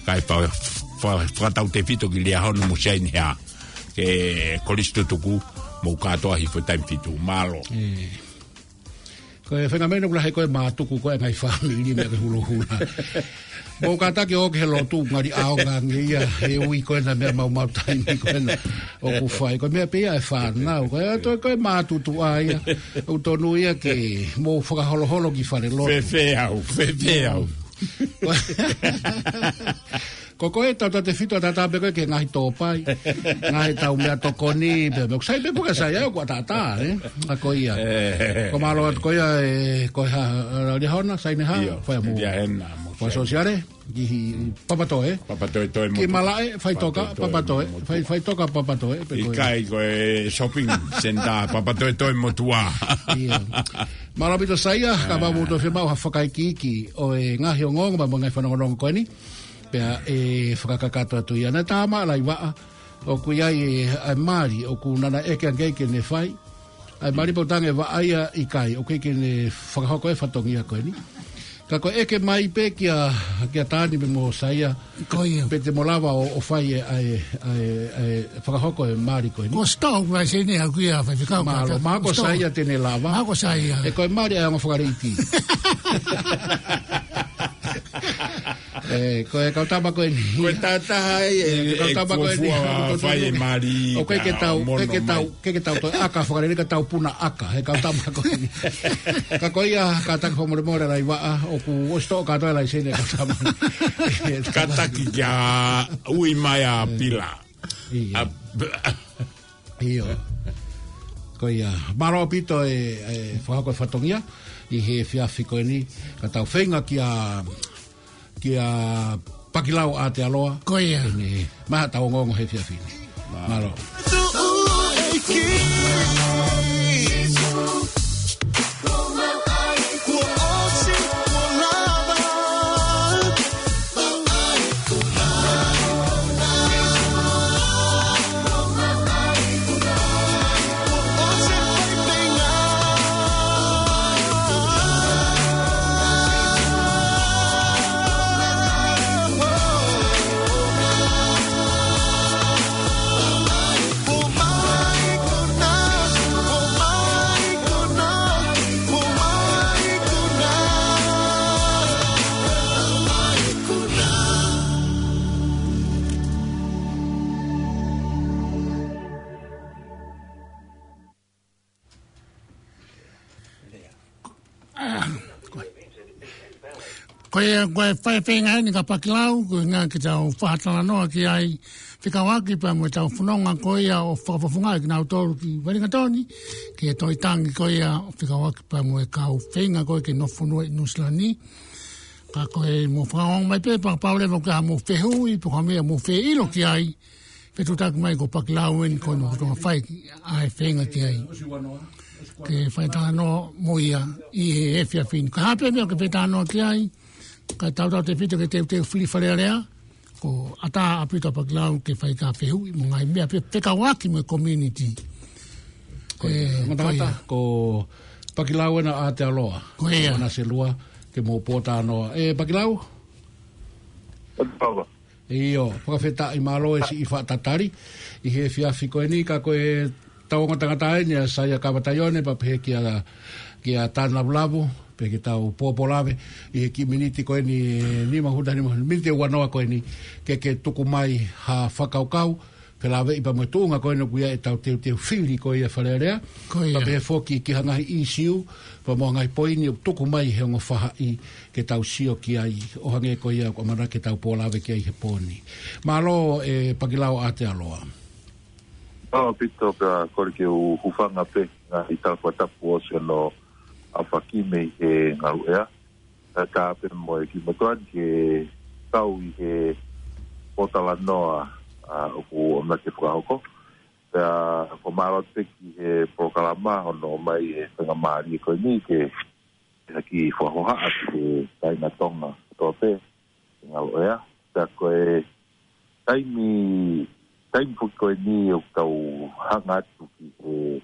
Kae fa-, fa-, fakatautefito ki Liahona mo Saini hea. Ke kolisi tutuku, mou kātoa hifo taimi fitu. Mālō. ʻE. Ko e fengameno kula he ko e mātuku ko e ngaahi fāmili meʻa ke hulohula. Mou kātaki ō ki he lotu ngali ʻaonga ange ia he ui ko ena meʻa maumau taimi ko ena ʻoku fai. Ko e meʻa pē ia e fānau. Ko e atu ko e mātutu ʻa ia. ʻOku tonu ia ke mou fakaholoholo ki fale lotu. Fefe au, fefe au. Ko koe tau tau te fito tata pe koe ke ngahi tōpai. Ngahi tau meʻa tokoni, pe meʻa kusai pe puka sai au kua tata, eh? A ko ia. Ko mālō atu ko ia, eh, ko ha, eh, Lihona, Saineha, Io, fai mu. Lihona, mo Kua Saineha. Sosiale, ki hi Papatoe. Papatoe toe mo Ki tu. Malaʻe, fai toka, Papatoe toe Papatoe, mo tu. Fai, fai toka Papatoe, pe ko ia. ʻIkai ko e shopping center, Papatoe toe mo tua. Ia. Mālō ʻaupito Saia, ka mau mou toe fiemaʻu ha fakaikiiki ʻo e ngaahi ongoongo, mo e ngaahi fanongonongo ko eni. Pea ʻe fakakakato atu ia. Naʻe tā mai ʻa Laivaʻa, ʻoku ʻi ai e, ʻa e mali, ʻoku nana ʻeke ange ke ne fai. ʻA e mali pau tange vaʻa ia ʻikai, ʻoku ʻikai ke ne fakahoko e fatongia ko eni. Ka ko e ʻeke mai pē kia, kia Tani pe mo Saia. Ko ia. Pe te mo lava ʻo, ʻo fai e, ʻa e, ʻa e, ʻa e fakahoko e mali ko eni. Ko Sito, ko e sene au kia fai fika. Mālō, mālō ko Sito. Saia te ne lava. Mālō ko Saia. ʻE ko e mali ʻa e ongo fakaleiti. ʻE, ko e kau tama ko eni. Ko e tata ai, ʻe, ʻe, kau tama ko eni. Fuofua fai e mali ʻOku ʻikai ke tau, ʻikai ke tau, ʻikai ke tau toe ʻaka fakalele ka tau puna ʻaka, he kau tama ko eni. Ka ko ia, kātaki fakamolemole Laivaʻa, ʻoku ʻosi toʻo kātoa e laiseni e kau tama. Kātaki kia ui mai ʻa Pila. Ia. ʻA, ʻIo. Ko ia, mālō ʻaupito e, e fakahoko e fatongia, ʻi he efiafi ko eni, ka tau feinga kia, kia Pakilau ʻAtealoa. Ko ia. Eni, maha tau ongoongo he efiafi ni. Mālō. Ko ia, ko e fai feinga eni kia Pakilau, ko e ngaahi ke tau fakatalanoa ki ai, fekauʻaki pea mo e tau fononga ko ia ʻo fakafofonga kinautolu ki Wellington, ke toe tangi ko ia ʻo fekauʻaki pea mo e kau feinga ko ia ke nofo fonua ʻi Nuʻusila ni. Ka ko e mou fakaongo mai pē, pea kapau leva ʻoku ʻi ai haʻamou fehuʻi, pe ko ha meʻa ʻoku mou fie ʻilo ki ai, fetuʻutaki mai ko Pakilau eni ko hono ʻuhinga fai ʻa e feinga ki ai. Ke fai talanoa mo ia ʻi he efiafi ni. Ka ha pē meʻa ke fai talanoa ki ai, ka tautautefito ke teuteu fili Fale Alea, ko e ʻatā ʻaupito ʻa Pakilau ke fai ha fehuʻi mo e ngaahi meʻa pē fekauʻaki mo e community. Ko ia, ʻe, ngata ko ia. Ko Pakilau ena ʻAtealoa. Ko ia. Mana selua, ke mou pōtalanoa. ʻE, Pakilau? ʻOtua. ʻIo, fakafetaʻi mālō e siʻi fakatatali ʻi he efiafi ko eni ka ko e tau ongo tangata eni ʻa Saia Kavataione pea pehē kia, kia Tana Lavulavu, pea ke tau pōpōlave ʻi he kiʻi miniti ko eni nima hota nima miniti ua noa ko eni ke ke tuku mai ha fakakaukau, felāveʻi pea mo e tuʻunga ko eni ʻoku ʻi ai e tau teuteu fili ko ia Fale Alea. Ko ia. Pea pehē foki ki ha ngaahi ʻīsiu, pea mo ha ngaahi poini ʻoku tuku mai he ongo faʻahi ke tau sio ki ai, ʻo hangē ko ia ʻoku ʻamanaki ke tau pōlave ki ai he pō ni. Mālō e Pakilau ʻAtealoa. Mālō ʻaupito pea kole ke u hūfanga pē ngaahi tala fakatapu ʻosi hono ʻaofaki mei he ngaluʻea. Ka tā pē mo e kiʻi motuʻa ni ke kau ʻi he pōtalanoa, ʻa, ʻoku ʻamanaki ke fakahoko. Pea ko e mālō atu pē ki he polokalama hono ʻomai e faingamālie ko eni ke, ke haki fakahohaʻa ki he kāinga Tonga kotoa pē, ʻi ngaluʻea. Pea ko e taimi, taimi foki ko eni ʻoku tau hanga atu ki he,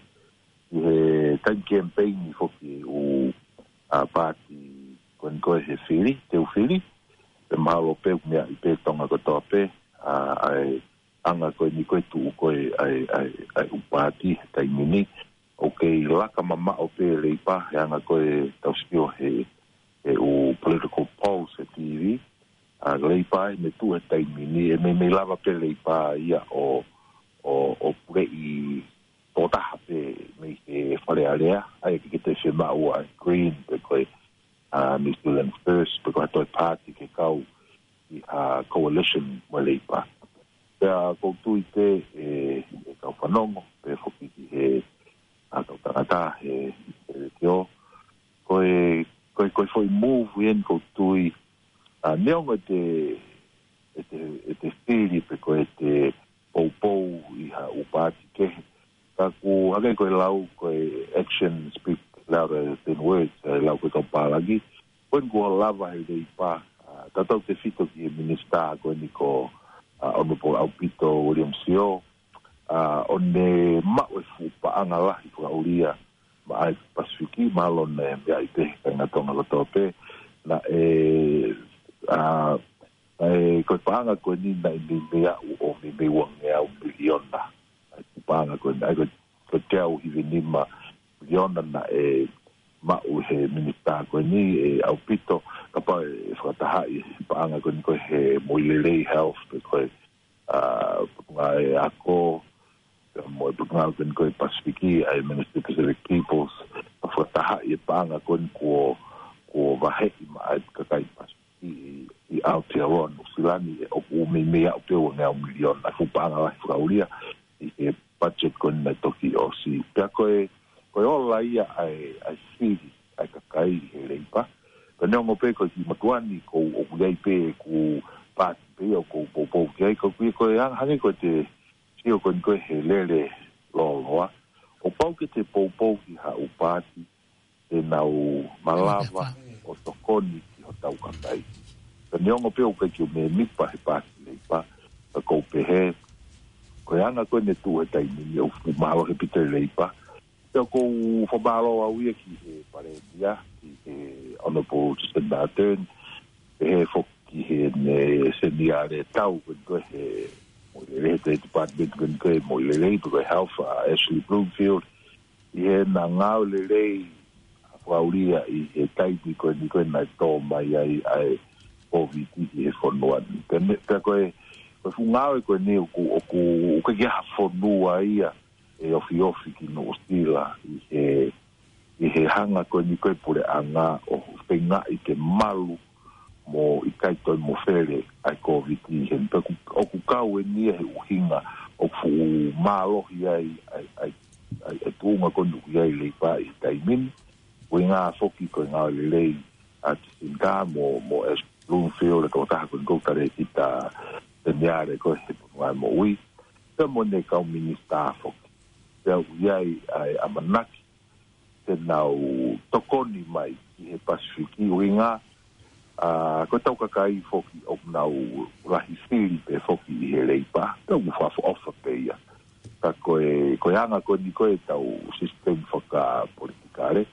ki he taimi kemipeini foki ʻū, ʻa, paati ko eni ko e he fili, teu fili. Pea mahalo pē ʻoku meaʻi pē Tonga kotoa pē, ʻa, ʻa e anga ko eni ko e tuʻu ko e ʻa e, ʻa e, ʻa e ʻū paati he taimi ni. ʻOku kei laka mamaʻo pē Leipa, he anga ko e tau sio he, he ʻū political polls he T V, ʻa Leipa ʻi he meʻa tuʻu he taimi ni, ʻe meimei lava pē Leipa ia ʻo, ʻo, ʻo puleʻi tokotaha pē mei he Fale Alea, ʻa ia ke ke te fiemaʻu ʻa e Green pe ko e, ʻa, New Zealand First, pe ko ha toe pāti ke kau ʻi ha coalition mo Leipa. Pea ʻoku ou tui pē ʻe, ʻe kau fanongo, pe foki ki he, ʻa, kau tangata he, he leitiō. Ko e, ko e, ko e foʻi move eni ʻoku ou tui, ʻa, neongo ʻete, ʻete, ʻete fili pe ko ʻete poupou ʻi ha ʻū pāti kehe. Ka ʻoku hangē ko e lau ko e action speak louder than words, ʻa e lau ko e kau pālangi. Ko eni kuo lava he Leipa, ʻa, tautautefito ki he minisitā ko eni ko, ʻa, Honourable ʻAupito William Sio, ʻa, ʻo ne maʻu e fuʻu paʻanga lahi fakaʻulia maʻa e Pasifiki, mahalo naʻe meaʻi pē he kāinga Tonga kotoa pē, naʻe, ʻa, naʻe ko e paʻanga ko eni naʻe meimei aʻu ʻo meimei uangeau miliona. ʻA e paʻanga ko eni, ʻa e ko e, ko e teau hivinima miliona naʻe maʻu he minisitā ko eni ʻe ʻAupito, kapau ʻe fakatahaʻi e paʻanga ko eni ko e he moʻui lelei, health, pe ko e, ʻa, ngaahi ako, pea mo e potungāue ko eni ko e Pasifiki, ʻa e Ministry of Pacific Peoples, ʻa fakatahaʻi e paʻanga ko eni kuo, kuo vaheʻi maʻa e kakai Pasifiki ʻi, ʻi Aotearoa, Nuʻusila ni, ʻe ʻoku meimei aʻu pē uangeau miliona, ʻa e fuʻu paʻanga lahi fakaʻulia ʻi he budget ko eni naʻe toki ʻosi. Pea ko e, ko e ola ia ʻa e, ʻa e fili ʻa e kakai he Leipa. Ka neongo pē ko e kiʻi mātuʻa ni ʻoku ou, ʻoku ʻi ai pē ʻeku pāti pē ia ʻoku ou poupou ki ai, ka ʻoku ʻi ai ko e hang-, hangē ko ʻete sio ko eni ko e he lele lōloa. ʻO pau ke te poupou ki ha ʻū pāti te nau malava ʻo tokoni ki hotau kakai. Ka neongo pē ʻoku ʻikai ke u mēmipa he pāti Leipa, ka ʻoku ou pehē, ko e anga ko eni ʻoku tuʻu he taimi ni ʻoku fuʻu mālohi ʻaupito e Leipa. Pea ʻoku ou fakamālō au ia ki he Palēmia, ki he Honourable Jacinda Ardern, pehē foki ki heʻene seniale tau ko eni ko e he moʻui lelei, he Department ko eni ko e moʻui lelei, pe ko e Health, ʻa Ashley Bloomfield, ʻi heʻena ngāue lelei ʻa fakaʻulia ʻi he taimi ko eni ko e naʻe tō mai ai ʻa e Covid ki he fonua ni. Pea me-, pea ko e, ko e fuʻu ngāue ko eni ʻoku, ʻoku, ʻoku ʻikai ha fonua ia ʻe ofiofi ki Nuʻusila ʻi he, ʻi he hanga ko eni ko e puleʻanga ʻo feingaʻi ke malu mo ʻikai toe mofele ʻa e Covid ʻi heni. Pea ʻoku, ʻoku kau eni ia he ʻuhinga ʻoku fuʻu mālohi ai ʻa e, ʻa e, ʻa e, ʻa e tuʻunga ko eni ʻoku ʻi ai e Leipa ʻi he taimi ni. ʻUhinga foki ko e ngāue lelei ʻa Jacinda mo, mo Ashley Bloomfield, e kau taha ko eni ko e Talēkita Seniale ko e he Fonua ʻo e Moʻui, pea mo ʻene kau minisitā foki. Pea ʻoku ʻi ai ʻa e ʻamanaki te nau tokoni mai ki he Pasifiki, ʻuhinga, ʻa, ko ʻetau kakai foki ʻoku nau lahi fili pē foki ʻi he Leipa, pea ʻoku fakaʻofoʻofa pē ia. Ka ko e, ko e anga ko eni ko e tau sisitemi fakapolitikale,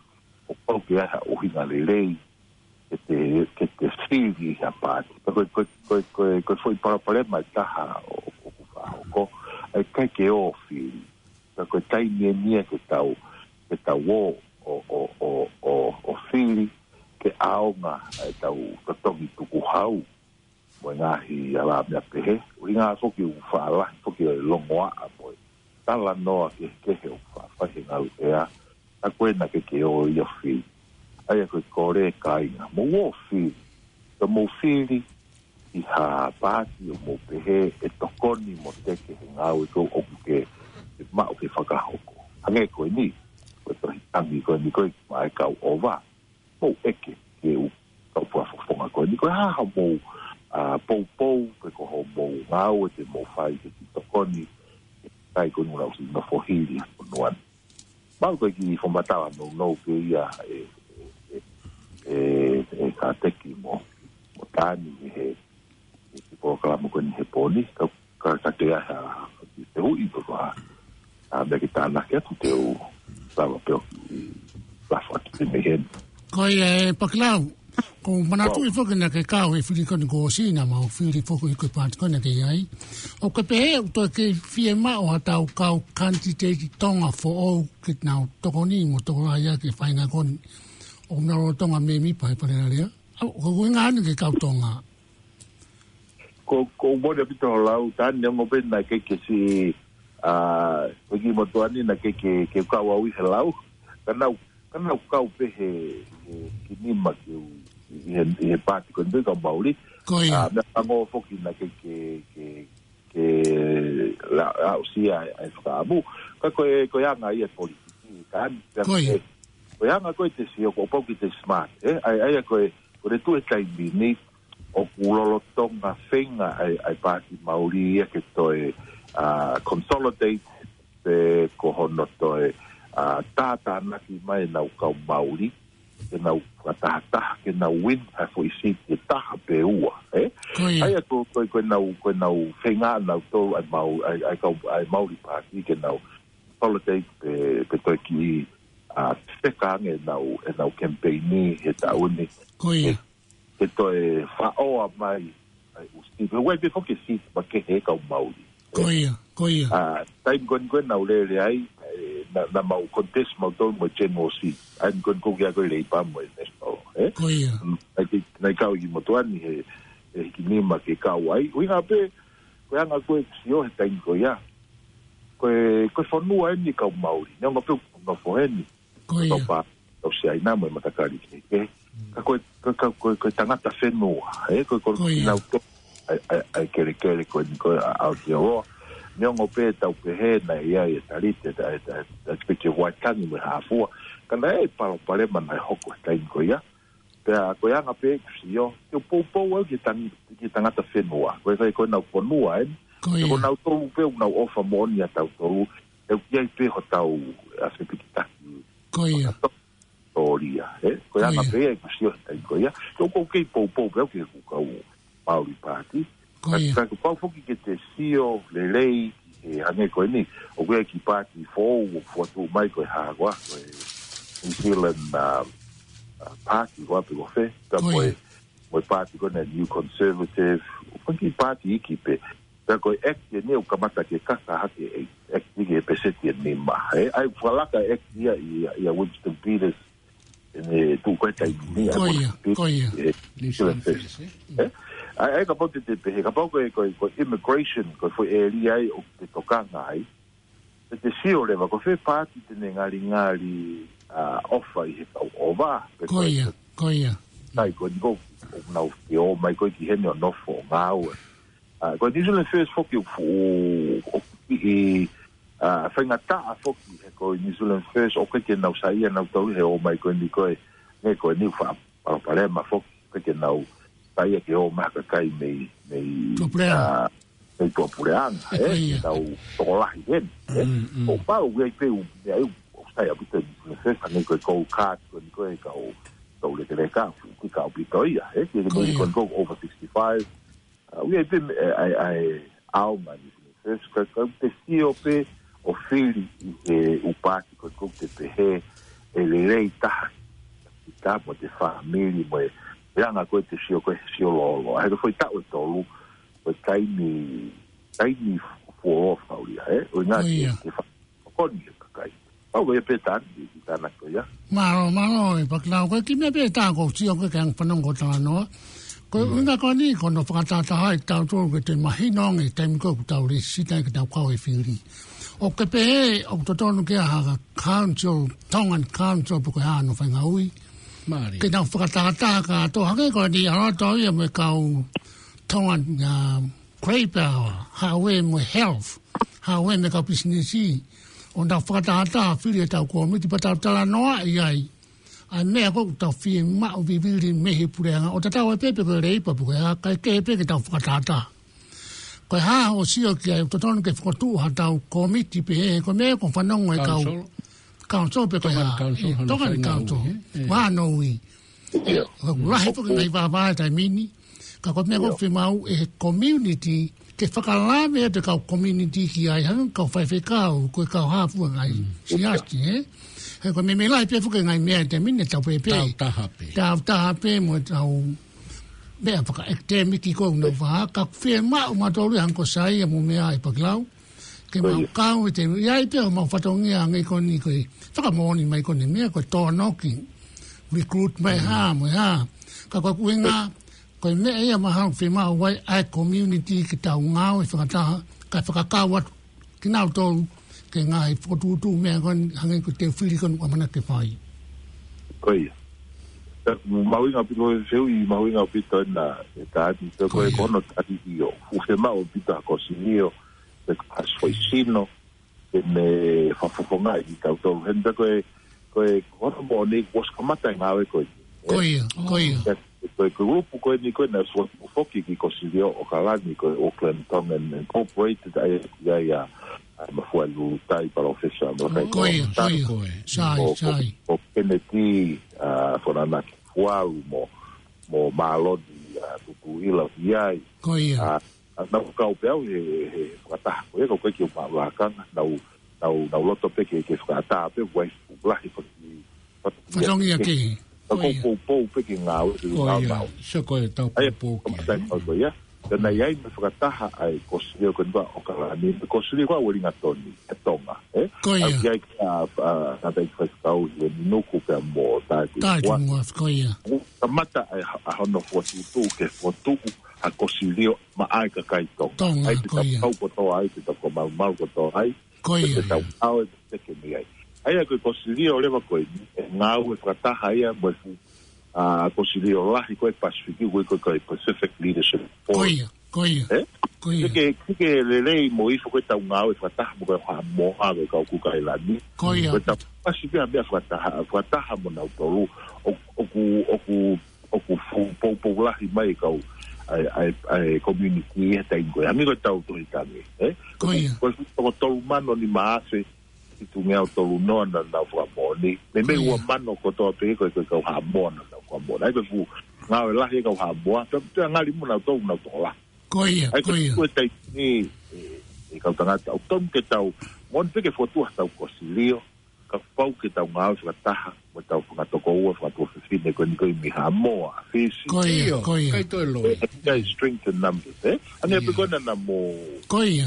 ʻoku pau ke ʻi ai ha ʻuhinga lelei ke te, ke te fili ʻi ha pāti. Ka ko e, ko e, ko e, ko e, ko e foʻi palopalema ʻe taha ʻo, ʻoku fakahoko, ʻa e ʻikai ke ō fili. Ka ko e taimi eni ia ke tau, ke tau ō, ʻo, ʻo, ʻo, ʻo, ʻo fili, ke ʻaonga ʻa e tau totongi tukuhau mo e ngaahi ala meʻa pehē. ʻUhinga foki ʻoku faʻa lahi foki e longoaʻa mo e talanoa kehekehe ʻoku faʻa fai he ngaluʻea, ʻa ko ē naʻe ʻikai ke ō ia ʻo fili. ʻA ia ko e kole kāinga, mou ō ʻo fili. Ka mou fili ʻi ha pāti ʻoku mou pehē ʻe tokoni mo teke he ngāue ko ē ʻoku ke, ke maʻu ke fakahoko. Hangē ko eni, ko e tohi tangi ko eni ko e maʻa e kau ʻova. Mou ʻeke ki he ʻū kau fakafofonga ko eni, ko e hā hoʻomou, ʻa, poupou, pe ko hoʻomou ngāue te mou fai ke tokoni ki he kakai ko eni ʻoku nau ʻosi nofo hili he fonua ni. Mau ko e kiʻi fakamatala nounou pē ia ʻe, ʻe, ʻe, ʻe, ʻe Kāteki mo, mo Tani he, he, he polokalama ko eni he pō ni, ka, ka, ka te ʻai ha, te hui pe ko ha, ʻa, meʻa ke tānaki atu te u lava pē ʻo kiʻi lafo atu pē mei heni. Ko ia ē Pakilau. Ko u manatuʻi foki naʻa ke kau he fili ko eni kuo ʻosi naʻa mau fili foki ko e paati ko eni naʻa ke ʻi ai. ʻOku ke pehē ʻoku toe kei fiemaʻu ha tau kau kanititeiti Tonga foʻou ke nau tokoni mo tokolahi ʻaki e faʻahinga ko eni. ʻOku nau lolotonga mēmipa he Fale Alea. ʻOku ke ʻuhinga eni ke kau Tonga. Ko, ko u mole ʻaupito ho lau, Tani, neongo pē naʻa ke ke si, ʻa, ko e kiʻi motuʻa ni naʻa ke ke, ke kau au ʻi he lau. Ka nau, ka nau kau pē he, he kiʻi nima ke u, ʻi he, ʻi he paati ko eni kau Mauli. Ko ia. ʻA, meʻa pango foki naʻa ke ke, ke, ke la, la ʻosi ʻa e, ʻa e fakaʻamu. Ka ko e, ko e anga ia e politiki, Tani. Ko ia. Ko e anga ko e te sio, kuo pau ke te smart, ē? ʻA ia, ʻa ia ko e, ko e tuʻu he taimi ni, ʻoku lolotonga feinga ʻa e, ʻa e Paati Mauli ia ke toe, ʻa, consolidate pe ko hono toe, ʻa, tātānaki mai ʻenau kau Mauli, ke nau fakatahataha, ke nau win ha foʻi seat ʻe taha pe ua, ē? Ko ia. ʻA ia ko, ko, ko ʻenau, ko ʻenau feinga ʻanautolu ʻa e Mau-, ʻa e, ʻa e kau, ʻa e Mauli Paati ke nau consolidate pe, pe toe kiʻi, ʻa, feka ange ʻenau, ʻenau campaign ni he taʻu ni. Ko ia. Ke toe faʻoa mai ʻa e ʻū seat. Pe ʻoku ʻi ai pē foki e seat makehe he kau Mauli. Ko ia, ko ia. ʻA, taimi ko eni ko ē naʻa ku lele ai, ē, naʻa, naʻa mau contest mautolu mo e general seat. ʻA ia ko eni ko kia ko e Labour mo e National, ē? Ko ia. Mm, naʻe ki-, naʻe kau ʻi motuʻa ni he, he kiʻi nima ke kau ai. ʻUhinga pē, ko e anga ko e sio he taimi ko ia. Ko e, ko e fonua eni kau Mauli. Neongo pē ʻoku nofo heni. Ko ia. Tau pa, tau Siaina mo e matakali kehekehe. Ka ko e, ka, ka, ko e, ko e tangata fenua, ē, ko e, ko e, ko ia. Nau to, ʻa e, ʻa e, ʻa e kelekele ko eni ko e ʻa, ʻa Aotearoa. Neongo pē tau pehē naʻe ʻi ai e talite, ʻa e, ʻa e, ʻa e, ʻa e peke Waitangi mo e Hāfua. Ka naʻe ʻi ai e palopalema naʻe hoko he taimi ko ia. Pea ko e anga pē ʻeku sio, ke u poupou au ki he tang-, ki he tangata fenua. Ko e, ko e, ko ʻenau fonua eni. Ko ia. Ko nautolu pē ʻoku nau ʻofa moʻoni ʻia tautolu, ʻoku ʻi ai pē hotau ʻafepikitaki. Ko ia. Tōlia, ē? Ko e anga pē ia ʻeku sio he taimi ko ia. Ko, ko e kei poupou pē au ki heʻeku kau Mauli Paati. Ko ia. Ka, ka kuo pau foki ke te sio lelei ki he hangē ko eni. ʻOku ʻi ai e kiʻi paati foʻou ʻoku fokotuʻu mai ko e hā koā, ko e New Zealand, um, uh, Party koā pe ko fē. Pea ko e, ko e paati ko eni New Conservative. Ko e kiʻi paati iiki pē. Pea ko e act eni ʻoku kamata ke kaka hake e act iiki he peseti ʻe nima. Ē, ʻa ia fakalaka e act ia ʻia, ʻia Winston Peters. ʻEne tuʻu ko e taimi ni, ʻa ia ko ia, ko ia. Ē, New Zealand First, ē? ʻA ia, ʻa ia kapau te te pehē, kapau ko e, ko e, ko e immigration, ko e foʻi ʻēlia ia ʻoku te tokanga ai. Te te sio leva, ko fē paati te ne ngalingali, ʻa, ʻofa ʻi he kau ʻova. Ko ia, ko ia. ʻA ia ko eni ko, ʻoku nau ke ō mai ko ē ki heni ʻo nofo ʻo ngāue. ʻA, ko e New Zealand First foki ʻoku fuʻu, ʻoku kiʻi, ʻa, faingataʻa foki he ko e New Zealand First ʻoku ʻikai ke nau saiʻia nautolu he ō mai ko eni ko e, ne ko eni ʻoku faʻa palopalema foki, ʻikai ke nau saiʻia ke ō mai ha kakai mei, mei, Tuʻapulelulu. ʻA, mei Tuʻapulelulu, ē, ko ia. Nau tokolahi heni, ē. Mm, mm. ʻOku pau ʻoku ʻi ai pē ʻū meʻa ʻoku sai ʻaupito New Zealand First, hangē ko e Gold Card, ko eni ko e kau, kau lekeleka, fuʻu kiʻi kau ʻaupito ia, ē, ke ko ia. Ko eni ko e over sixty-five, ʻA, ʻoku ʻi ai pē, ē, ʻa e, ʻa e, ʻaonga ni, ē, ka, ka te sio pē ʻo fili ʻi he ʻū paati ko ē ʻoku te pehē ʻe lelei taha. Kita mo e fāmili mo e, ʻa e anga ko ē te sio ko ē, sio lōloa. He ko e foʻi taʻu ʻe tolu, ko e taimi, taimi fuoloa fau ia, ē? ʻUhinga ʻo ia. Ke, ke fa-, ʻo ko eni e kakai. Pau ko ia pē Tani, ʻi tānaki ko ia. Mālō, mālō, ē Pakilau, ko e kiʻi meʻa pē ʻe taha ʻoku ou sio ko ē ke anga fanongo talanoa. Ko e ʻuhinga ko eni, ko hono fakatahataha ʻe tautolu ke te mahino ange taimi ko ē ʻoku tau lēsisita ke tau kau he fili. ʻOku ke pehē, ʻoku totonu ke ʻi ai ha council, Tongan Council, pe ko e hā hono faʻahinga ui. Mālie. Ke nau fakatahataha kātoa, hangē ko eni ʻalu atu au ia mo e kau Tongan, ʻa, Grey Power, Haʻu ē mo e Health, Haʻu ē mo e kau pisinisi, ʻo nau fakatahataha fili ʻetau kōmiti pea tau talanoaʻi ai ʻa e meʻa ko ē ʻoku tau fiemaʻu vivili mei he puleʻanga. ʻO tatau ai pē pe ko e Leipa pe ko e hā, kae kehe pē ke tau fakatahataha. Ko e hā hoʻo sio ki ai, ʻoku totonu ke fokotuʻu haʻatau kōmiti pehē, ko e meʻa ko e fanongo e kau. Council. Council pe ko e hā. Tongan Council, ē, hano Tongan faʻahinga Council. Ui, ē. Ē. Hā hono ui. ʻIo. ʻOku lahi foki e ngaahi vāvāe he taimi ni. Ka ko e meʻa ʻoku fiemaʻu ʻe he community ke fakalave atu e kau community ki ai, hangē ko e kau faifekau, ko e kau hā fua ngaahi siasi, ē? He ko e meimei lahi pē foki e ngaahi meʻa he taimi ni ʻoku tau pehē pē. Tau taha pē. Tau taha pē mo tau meʻa fakaʻekatēmiki ko ē ʻoku nau fai, ka fiemaʻu mautolu ia hangē ko Saia mo meʻa ʻa Pakilau. Ke mau kau ʻi he, ʻi ai pē homau fatongia hangē ko eni ko e fakamoʻoni mai ko eni meʻa ko e tōnoki. Recruit mai hā, mo e hā. Ka ko e ʻuhinga, ko e meʻa ia mahalo fiemaʻu ai ʻa e community ke tau ngāue fakataha, kae fakakau atu kinautolu ki he ngaahi fokotuʻutuʻu meʻa ko eni hangē ko e fili ko eni ʻoku ʻamanaki ke fai. Ko ia. Pea mahuʻinga ʻaupito e fehuʻi, mahuʻinga ʻaupito ena ʻe Tani, pea ko e Ko ia. Ko hono tali ʻio. ʻOku fiemaʻu ʻaupito ha kosilio, pe ko ha foʻi sino, ke ne fakafofongaʻi kitautolu. Heni pea ko e, ko e, ko hono moʻoni kuo ʻosi kamata e ngāue ko eni. Ko ia, ko ia. Pea ko e, ko e kulupu ko eni ko ē naʻe fokotuʻu foki ki Kosilio ʻAokalani ko e Auckland Tongan Incorporated, ʻa ia ʻoku ʻi ai ʻa, ʻa Mafuaʻi Lulutai, Palōfesa Malakai Ko ia, ko ia. Sai, sai. Ko, ko Kennedy, ʻa, Fonanaki Fualu mo, mo Māloni, ʻa, Tutuila ʻi ai. Ko ia. ʻA, ʻa, naʻa ku kau pē au he, he fakataha ko ia, ka ʻoku ʻikai ke u maʻu lakanga, naʻa ku, naʻa ku, naʻa ku loto pē ke, ke fakaʻatā pē, uaifi lahi faki, faki Fatongia ke. Ka Ko ia. Ko e poupou pē ke ngāue, ke Ko ia. Ngāue. Sio ko e tau ʻA ia, poupou ki ai. Kamata ko ia. Ka naʻe ʻi ai mo e fakataha ʻa e Kosilio ko eni ʻAokalani, mo e Kosilio ko Uelingatoni, ʻa Tonga, ē? Ko ia. ʻA ia ki a, a, Ngātai Faifekau Hile Minuku pea mo Tae Tae Tuʻunga. Tuʻunga, ko ia. Kamata ʻa e, ʻa hono fokotuʻutuʻu ke fokotuʻu ha kosilio maʻa e kakai Tonga. Tonga, ʻA ia ko ia. Pau kotoa ai, pea tau kau malumalu kotoa ai. Ko ia. Pea tau ʻave ke mei ai. ʻA ia ko e kosilio leva ko eni, ʻe ngāue fakataha ia mo e fuʻu, ʻa, kosilio lahi ko ē Pasifiki, ko e, ko e, ko e Pacific Leadership Forum. Ko ia, ko ia. Ē? Ko ia. Ke, ke, ke lelei mo e foʻi ko ē tau ngāue fakataha mo e kau Haʻamoa, ko e kau Kuka ʻAilani. Ko ia. Ko e tau pasi pē ha meʻa fakataha, fakataha mo nautolu, ʻo, ʻoku, ʻoku, ʻoku fuʻu poupou lahi mai e kau, ʻa e, ʻa e, ʻa e community he taimi ko ē. Hangē ko e tau tohi tangi, ē? Ko ia. Ko e fuʻu toko tolu mano nima afe, fitungeau tolu noa naʻa nau fakamoʻoni. Meimei Ko ia. ua mano kotoa pē ko e, ko e kau Haʻamoa naʻa nau fakamoʻoni. ʻA ia ko e fuʻu ngāue lahi e kau Haʻamoa. Pea, pea ngali mo nautolu, nau toko lahi. Ko ia, ʻA ia ko ko e ia. ko e taimi ni, ʻe, ʻe kau tangata, ʻoku tonu ke tau, moʻoni pē ke fokotuʻu ha tau kosilio, ka pau ke tau ngāue fakataha mo e tau fanga tokoua, fanga tuofefine ko eni ko ē mei Haʻamoa, Fisi. Ko ia, ʻIo, ko ia. kai toe loi. ʻE, ʻe, kai strength in numbers, ē? ʻA ia pē ʻIo. ko ena naʻa mo Ko ia.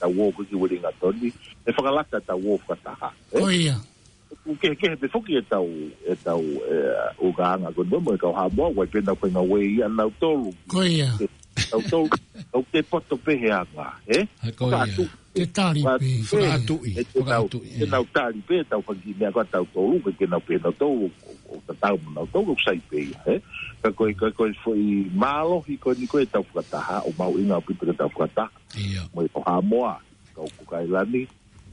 tau ō ko ē ki Uelingatoni, ʻe fakalata tau ō fakataha, ē? Ko ia. ʻOku kehekehe pē foki e tau, e tau, e, ʻulungaanga ko eni mo e kau Haʻamoa, ʻoku ʻi ai pē ʻenau faʻahinga uē ia ʻanautolu. Ko ia. Ke, tautolu, tau te poto pē he anga, ē? ʻA ko ia. Fakatuʻi. Te tali Faka-, pē. Fakatuʻi, ē, te nau, fakatuʻi, te ē. nau tali pē, tau fanga kiʻi meʻa ko ē ʻatautolu, ke, ke nau pehē nautolu, ʻo, ʻo tatau mo nautolu, ʻoku sai pē ia, ē? Ka ko e, ka ko e foʻi mālohi ko eni ko ē tau fakataha, ʻoku mahuʻinga ʻaupito ke tau fakataha. ʻIo. Mo e kau Haʻamoa, kau Kuka ʻAilani,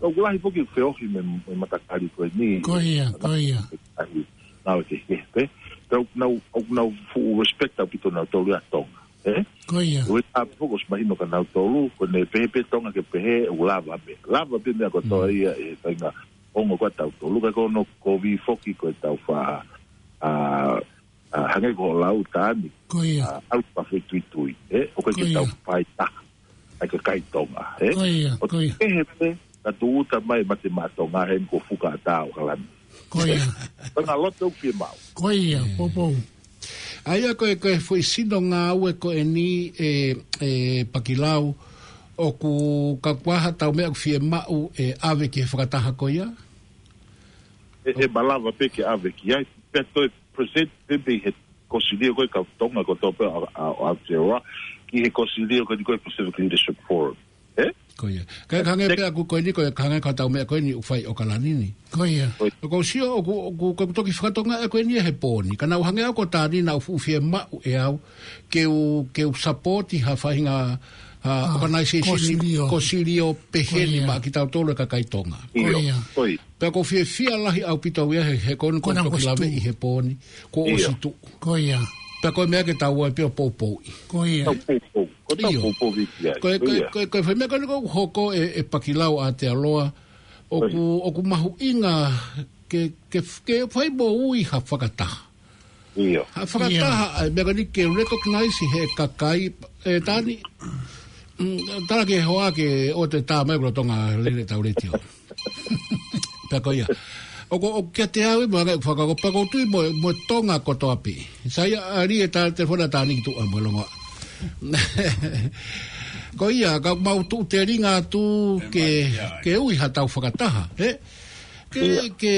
ʻoku lahi foki feohi mei, mei he matakali ko eni. Ko ia, ko ia. ʻAi, nau ke ke, pē. Tau, nau, ʻoku nau fuʻu respect ʻaupito nautolu ia Tonga, ē? Ko ia. ʻOku ʻi ai pē foki ʻosi mahino kia nautolu, ko ʻene pehē pē Tonga ke pehē, ʻoku lava pē. Lava pē meʻa kotoa Mm. ia ʻe faʻahinga ongo ko ē ʻatautolu, ka ko hono kovi foki ko e tau fa-, ʻa, ʻa, hangē ko hoʻo lau Tani, Ko ia. ʻa, ʻalu pa fai tuitui, ē? ʻOku ʻikai Ko ke ia. tau fai taha ʻa e kakai Tonga, ē? Ko ia, ʻOku ko ia. kehe pē, ka tūʻuta mai mate maʻa Tonga heni ko Fuka ʻAtā ʻAokalani. Ko ia. Ko e ngaahi loto ʻoku fiemaʻu. Ko ia, Ē. poupou. ʻA ia ko e, ko e foʻi sino ngāue ko eni ē, ē Pakilau, ʻoku ka kuaha tau meʻa ʻoku fiemaʻu ʻe ʻave ki he fakataha ko ia? ʻE, ʻe malava pē ke ʻave ki ai, pea toe present pē mei he kosilio ko ē kau Tonga kotoa pē ʻa, ʻa, ʻa Aotearoa, ki he kosilio ko eni ko e Pacific Leadership Forum. Ē? Ko ia. Ka, ka hangē Tek- pē ʻaku ko eni ko e, ka hangē ko ʻetau meʻa ko eni ʻoku fai ʻAokalani ni. Ko ia. Ko ia. ʻOku ou sio, ʻoku, ʻoku, ʻoku toki fakatonga ʻe ko eni he pō ni. Ka naʻa ku hangē au ko Tani naʻa ku fuʻu fiemaʻu ʻe au, ke u, ke u sapoti ha faʻahinga, ha Ah, organization ni, kosilio. kosilio pehē ni Ko ia. maʻa kitautolu e kakai Tonga. ʻIo, Ko ia. ko ia. Pea ʻoku ou fiefia lahi ʻaupito au ia he, he ko eni Ko ena kuo toki kuo ʻosi laveʻi tuʻu. he pō ni, kuo ʻIo. ʻosi tuʻu. Ko ia. Pea ko e meʻa ke tau ō ai pē ʻo poupouʻi. Ko ia. Tau poupou. Ko tau ʻIo. poupou viki ai. Ko e, Ko ko e, ia. ko e, ko e foʻi meʻa ko eni ʻoku hoko ē, ʻe Pakilau ʻAotearoa, ʻoku, Ko ia. ʻoku mahuʻinga ke, ke, ke fai moʻui ha fakataha. ʻIo. Ha fakataha, ʻIo. ʻa e meʻa ko eni ke recognize he kakai, ē Tani, mm, tala ke hoa ke ʻoua te tā mai ʻoku lolotonga lele ʻetau letiō. Pea ko ia. ʻOku, ʻoku kiate au ʻe maʻu e fakakaukau pea ʻoku ou tui mo, mo Tonga kotoa pē. Sai ia ʻa Lie, tā telefoni ʻa Tāniki Tuʻa mo e longoaʻa. Ko ia, ka mau tuʻu telinga atu ke, ke ui ha tau fakataha, ē? Ke, ke,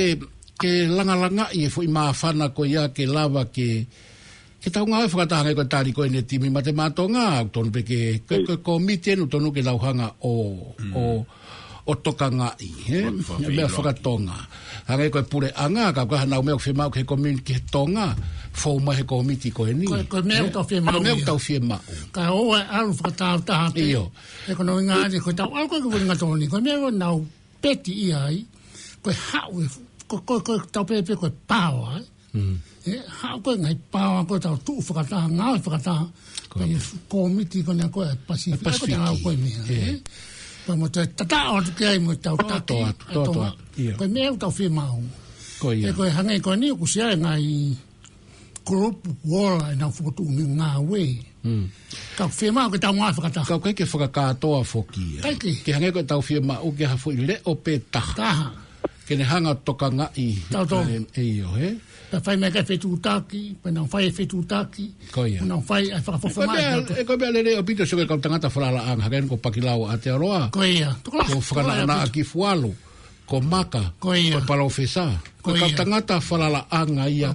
ke langalangaʻi e foʻi māfana ko ia ke lava ke, ke tau ngāue fakataha hangē ko e tali ko eni e timi mate maʻa Tonga, ʻoku tonu pē ke, ke, ke komiti eni ʻoku tonu ke tau hanga ʻo, ʻo, ʻo tokangaʻi, ē? Meʻa fakatonga. Hangē ko e puleʻanga, ka ko e hā nau meʻa ʻoku fiemaʻu ki he komiti ki he Tonga, fou mai he komiti ko eni. Ko e, ko e meʻa ʻoku tau fiemaʻu ia. Ko e meʻa ʻoku tau fiemaʻu. Ka ʻoua ʻe ʻalu fakatāutaha pē. ʻIo. He ko hono ʻuhinga eni, ko e tau ʻalu ko ē ki Uelingatoni, ko e meʻa ʻoku nau peti ia ai, ko e haʻu e, ko, ko, ko e tau pehē pē ko e paoa, ē? Mm. ʻE, haʻu ko e ngaahi paoa ko e tau tuʻu fakataha, ngāue fakataha, ko e komiti ko ena ko e Pasifiki. Pasifiki. Ko e tau ko e meʻa, ē? Pea mo e tataʻo atu ki ai mo e tau taki atu, ʻa e Tonga. Ko e meʻa ʻoku tau fiemaʻu. Ko ia. ʻE ko e hangē ko eni ʻoku ʻi ai e ngaahi kulupu kuo ola ʻenau fokotuʻu ngāue. Mm. Ka ʻoku fiemaʻu ke tau ngāue fakataha. Ka ʻoku ʻikai ke fakakātoa foki ia. ʻIkai ke. Ke hangē ko e tau fiemaʻu ke ha foʻi leʻo pē taha. Taha. Ke ne hanga ʻo tokangaʻi. Tau tau. ʻE, ʻio, ē? Pea fai mai ki he fetuʻutaki, pea nau fai e fetuʻutaki. Ko ia. Nau fai e fakafofonga. Ko e meʻa, ʻe ko e meʻa lelei ʻaupito sio ki he kau tangata falalaʻanga, hangē ko Pakilau ʻAtealoa. Ko ia. Ko Fakanaʻanaʻa Kifualu. Ko Maka, ko e palōfesa, ko e kau tangata falalaʻanga ia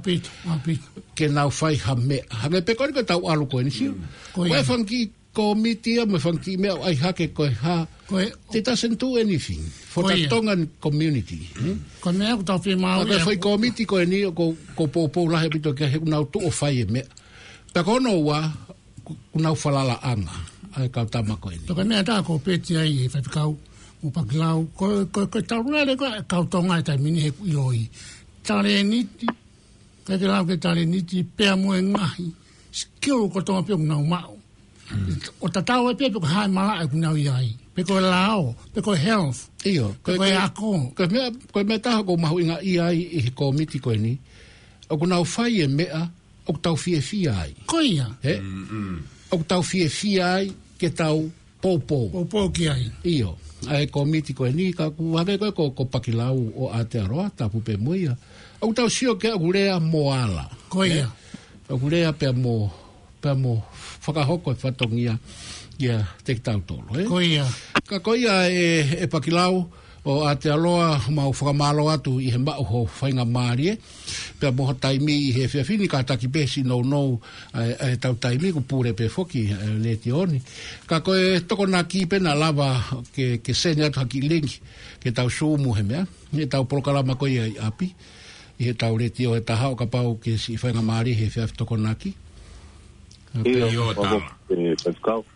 ke nau fai ha meʻa. Hangē pē ko eni ko e tau ʻalu ko eni sio. Ko e fanga kiʻi komiti ia mo e fanga kiʻi meʻa ʻoku ʻai hake ko e hā. They doesn't do anything for the Tongan community. Ko e meʻa ʻoku tau fiemaʻu ia. Ko e fai komiti ko eni ʻoku ou poupou lahi ʻaupito ki ai he ʻoku nau tuʻu ʻo fai e meʻa. Pea ko hono ua, ʻoku nau falalaʻanga ʻa e kau tama ko eni. Pea ko e meʻa tā ko peti ai e faifekau mo Pakilau, ko, ko, ko e tau lele ko e kau Tonga he taimi ni he ʻoku ʻiloʻi. Talēniti, ʻikai ke lau ke talēniti, pea mo e ngaahi skill kotoa pē ʻoku nau maʻu. ʻO tatau ai pē pe ko e hā e malaʻe ʻoku nau ʻi ai. Pe ko e lao, pe ko e health, pe ko e ako. Ko e meʻa, ko e meʻa taha ʻoku ou mahuʻingaʻia ai ʻi he komiti ko eni. ʻOku nau fai e meʻa ʻoku tau fiefia ai. Ko ia. Ē? ʻOku tau fiefia ai ke tau poupou. Poupou ki ai. ʻIo. ʻA e komiti ko eni ka ʻoku hangē ko e ko, ko Pakilau ʻo Aotearoa, tapu pē mo ia. ʻOku tau sio ki ai ʻoku lea mo ala. Ko ia. Ē? ʻOku lea pea mo, pea mo fakahoko e fatongia ia kiate kitautolu, ē? Ko ia. Ka ko ia ē, ʻe Pakilau, ʻo Aotearoa, mau fakamālō atu ʻi he maʻu ho faingamālie. Pea mo ho taimi ʻi he efiafi ni kātaki pē siʻi nounou ʻa e, ʻa e tau taimi kuo pule pē foki ʻa e letiō ni. Ka ko e Tokonaki pē naʻa lava ke, ke send atu ha kiʻi link ke tau Zoom he meʻa. He tau polokalama ko ia ʻi ʻapi. ʻI he tau letiō he taha ʻo kapau ke siʻi faingamālie he efiafi Tokonaki. ʻIo, ʻio, tala.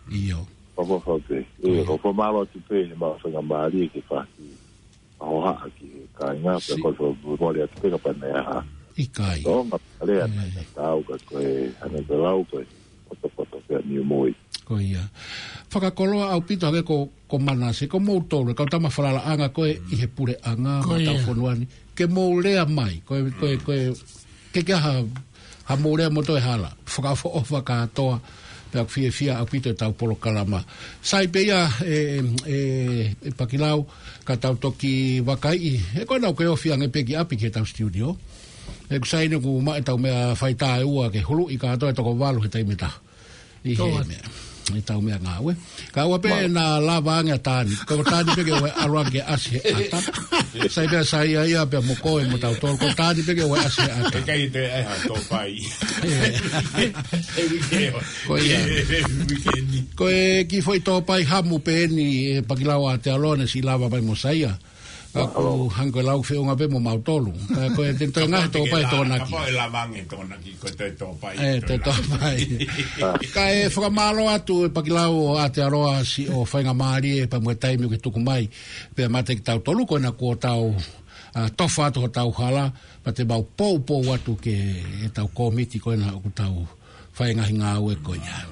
ʻIo. Papa Fauke. ʻIo, ʻoku fakamālō atu pē he maʻu faingamālie ke fai ha hohaʻa ki he kāinga, pea ko e fakamālō atu pē ka pane aha. ʻIkai. Tō, ma lea na ka tau ka ko e, hangē ko e lau ko e, potopoto pea niu moi. Ko ia. Fakakoloa ʻaupito hangē ko, ko Manase, ko moutolu, kau tama falalaʻanga ko ē ʻi he puleʻanga, ko e tau fonua ni. Ke mou lea mai, ko e, ko e, ko e, ke ke ha, ha mou lea mo toe hala, fakaʻofoʻofa kātoa, pea ʻoku fiefia ʻaupito e tau polokalama. Sai pē ia, ʻe, ʻe, ʻe Pakilau, ka tau toki vakaiʻi, he ko ena ʻoku ke ofi ange pē ki ʻapi ki he tau studio. ʻE ʻoku sai eni ʻoku maʻu e tau meʻa fai taeua ke huluʻi kātoa e toko valu he taimi ʻe taha. ʻI he meʻa. ʻI he tau meʻa ngāue. Ka ʻoua pē naʻa lava ange ʻa Tani. Ko Tani pē ke ʻoua ʻalu ange ke ʻasi he ʻata. Sai pē ʻa Saia ia pea mo koe mo tautolu. Ko Tani pē ke ʻoua ʻasi he ʻata. ʻIkai te ai ha tōpai. Ko ia. Ko e kiʻi foʻi tōpai hamu pē eni ʻe Pakilau ʻAtealoa naʻe siʻi lava mai mo Saia. Ka ʻoku hangē ko e lau feʻunga pē mo mautolu. Ka ko e te toe ngaahi tōpai Tokonaki. Kapau ʻe lava ange Tokonaki, ko e toe tōpai. ʻE, toe tōpai. Kae fakamālō atu ʻe Pakilau ʻo Aotearoa siʻo faingamālie pea mo e taimi ʻoku ke tuku mai. Pea mate kitautolu ko ena kuo tau, ʻa, tofa atu hotau hala, pea te mau poupou atu ki he tau kōmiti ko ena ʻoku tau fai e ngaahi ngāue ko ia.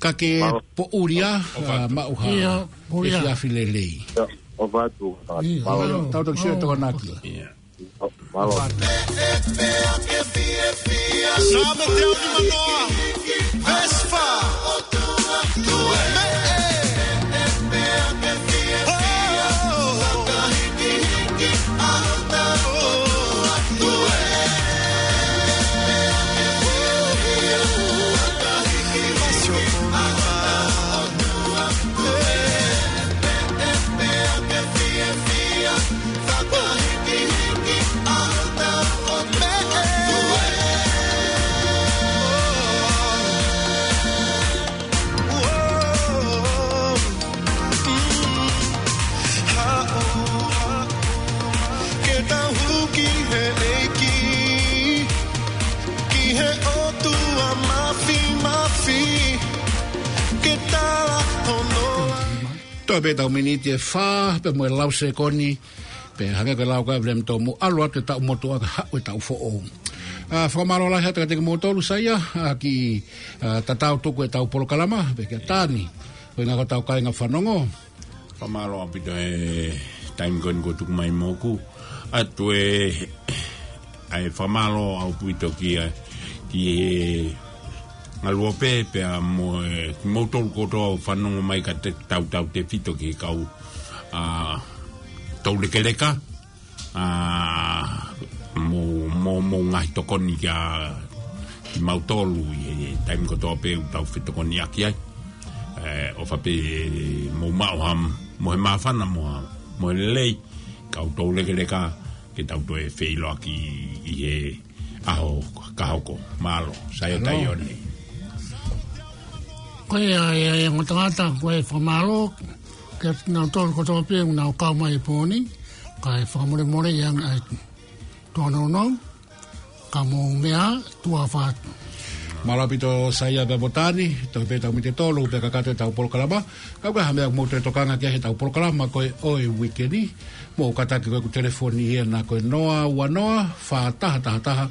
Ka ke poʻuli ā, ʻa, maʻu ha efiafi lelei. ʻOfa atu. Tau toki sio Tokonaki. Mālō. Sāme teau nima noa, veesi fā. Meʻe. Oh. Toe pē ʻetau miniti ʻe fā, pea mo e lau sekoni, pea hangē ko e lau ko ia ʻa William Tomu, ʻalu atu e taʻu motuʻa kae haʻu e taʻu foʻou. ʻA, fakamālō lahi atu kiate kimoutolu, Saia, ʻa, ki, ʻa, tatau tuku ʻetau polokalama, pea kia Tani, ko e ngaahi ʻetau kāinga fanongo. Fakamālō ʻaupito he taimi ko eni kuo tuku mai moʻoku. ʻAtu e, ʻa e fakamālō ʻaupito ki he, ki he ngaluope pea mo e, kimoutolu kotoa ʻoku fanongo mai ka te tautautefito ki he kau, ʻa, toulekeleka, ʻa, mo, mo, mo e ngaahi tokoni kia kimautolu ʻi he taimi kotoa pē ʻoku tau fetokoniʻaki ai. ʻE, ʻofa pē mou maʻu ha, mo e māfana mo ha, mo e lelei, kau toulekeleka, ke tau toe feʻiloaki ʻi he ʻaho ka hoko. Mālō, Saia Taione. Ko ia, ia, ia, ngata ngata, ko e fakamālō kiate kinautolu kotoa pē ʻoku nau kau mai he pō ni, kae fakamolemole ia ʻa e tuʻa nounou, ka mou meʻa, tuʻa ʻofa atu. Mālō ʻaupito Saia pea mo Tani, toe pē ʻetau miniti ʻe tolu, pea kakato ʻetau polokalama. Ka ʻoku ʻi ai ha meʻa ʻoku mou toe tokanga ki ai heʻetau polokalama ko ē ʻo e uike ni, mou kātaki ko ʻeku telefoni ʻi hena ko e noa ua noa, fā taha taha taha,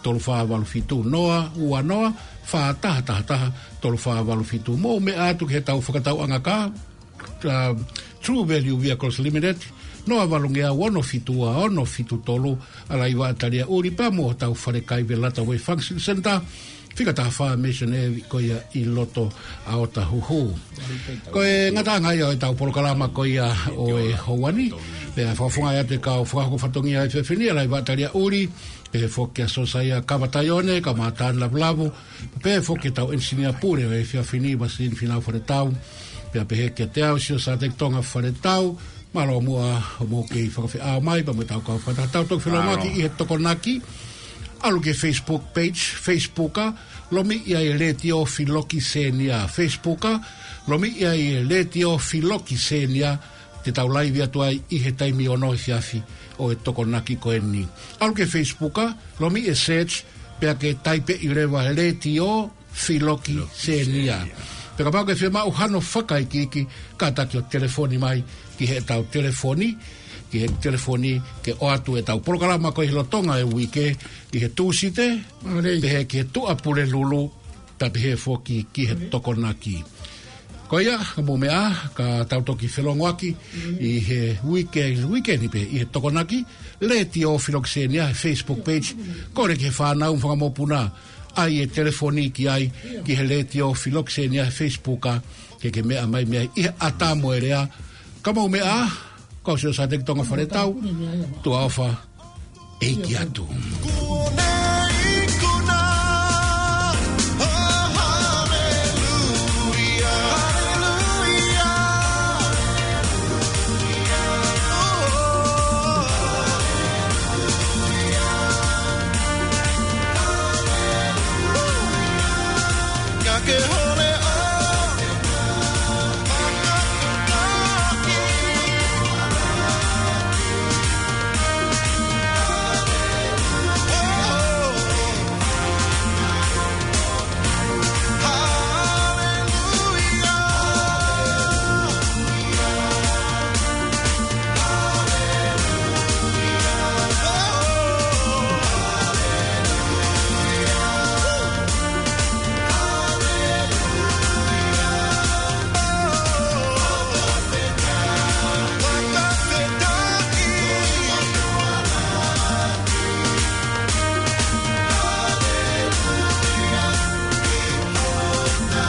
tolu fā valu fitu, noa ua noa, fā taha taha taha, tolu fā valu fitu. Mou meʻa atu ki heʻetau fakatauʻanga kā, ʻa, True Value Vehicles Limited, noa valu ngeau ono fitu ua ono fitu tolu, ʻa Laiva ʻAtalia ʻUli pea mo hotau fale kai Velata Way Function Center, fika taha fā Mission Ave ko ia ʻi loto ʻa Otahuhu. Ko e ngataʻanga ia ʻo ʻetau polokalama ko ia ʻo e houa ni, pea fakafofongaʻi atu e kau fakahoko fatongia ʻo e efiafi ni, ʻa Laiva ʻAtalia ʻUli, pehē foki kia Sosaia Kava Taione, kau Mātani Lavulavu, pehē foki ki heʻetau enisinia pule ʻo e efiafi ni, Masini Finau Faletau, pea pehē kiate au, Sio Sateki Tonga Faletau, mālō muʻa hoʻomou kei fakafeʻao mai, pea mo ʻetau kau fakataha, tau toki felōngoaki ʻi he Tokonaki, ʻalu ki he Facebook page, Facebooka, lomiʻi ai e Letiō Filoki Senior, Facebooka, lomiʻi ai e Letiō Filoki Senior, te tau laivi atu ai ʻi he taimi ono efiafi ʻo e Tokonaki ko eni. ʻAlu ki he Facebooka, lomiʻi e search, pea ke taipeʻi leva e Letiō Filoki Senior. Pea kapau ʻoku ke fiemaʻu hano fakaikiiki, kātaki ʻo telefoni mai ki heʻetau telefoni, ki he telefoni ke ʻoatu ʻetau polokalama ko ē he lolotonga e uike, ʻi he Tūsite, pehē ki he Tuʻapulelulu, pea pehē foki ki he Tokonaki. Ko ia, ka mou meʻa, ka tau toki felōngoaki ʻi he uike, uike ni pē, ʻi he Tokonaki, Letiō Filoki Senior, Facebook page, kole ki he fānau mo e fanga mokopuna, ʻai e telefoni ki ai, ki he Letiō Filoki Senior, Facebooka, ke ke meʻa mai mei ai ʻi he ʻatā mo e lea, ka mou meʻa, ko Sio Sateki Tonga Faletau, tuʻa ʻofa, ʻEiki atu.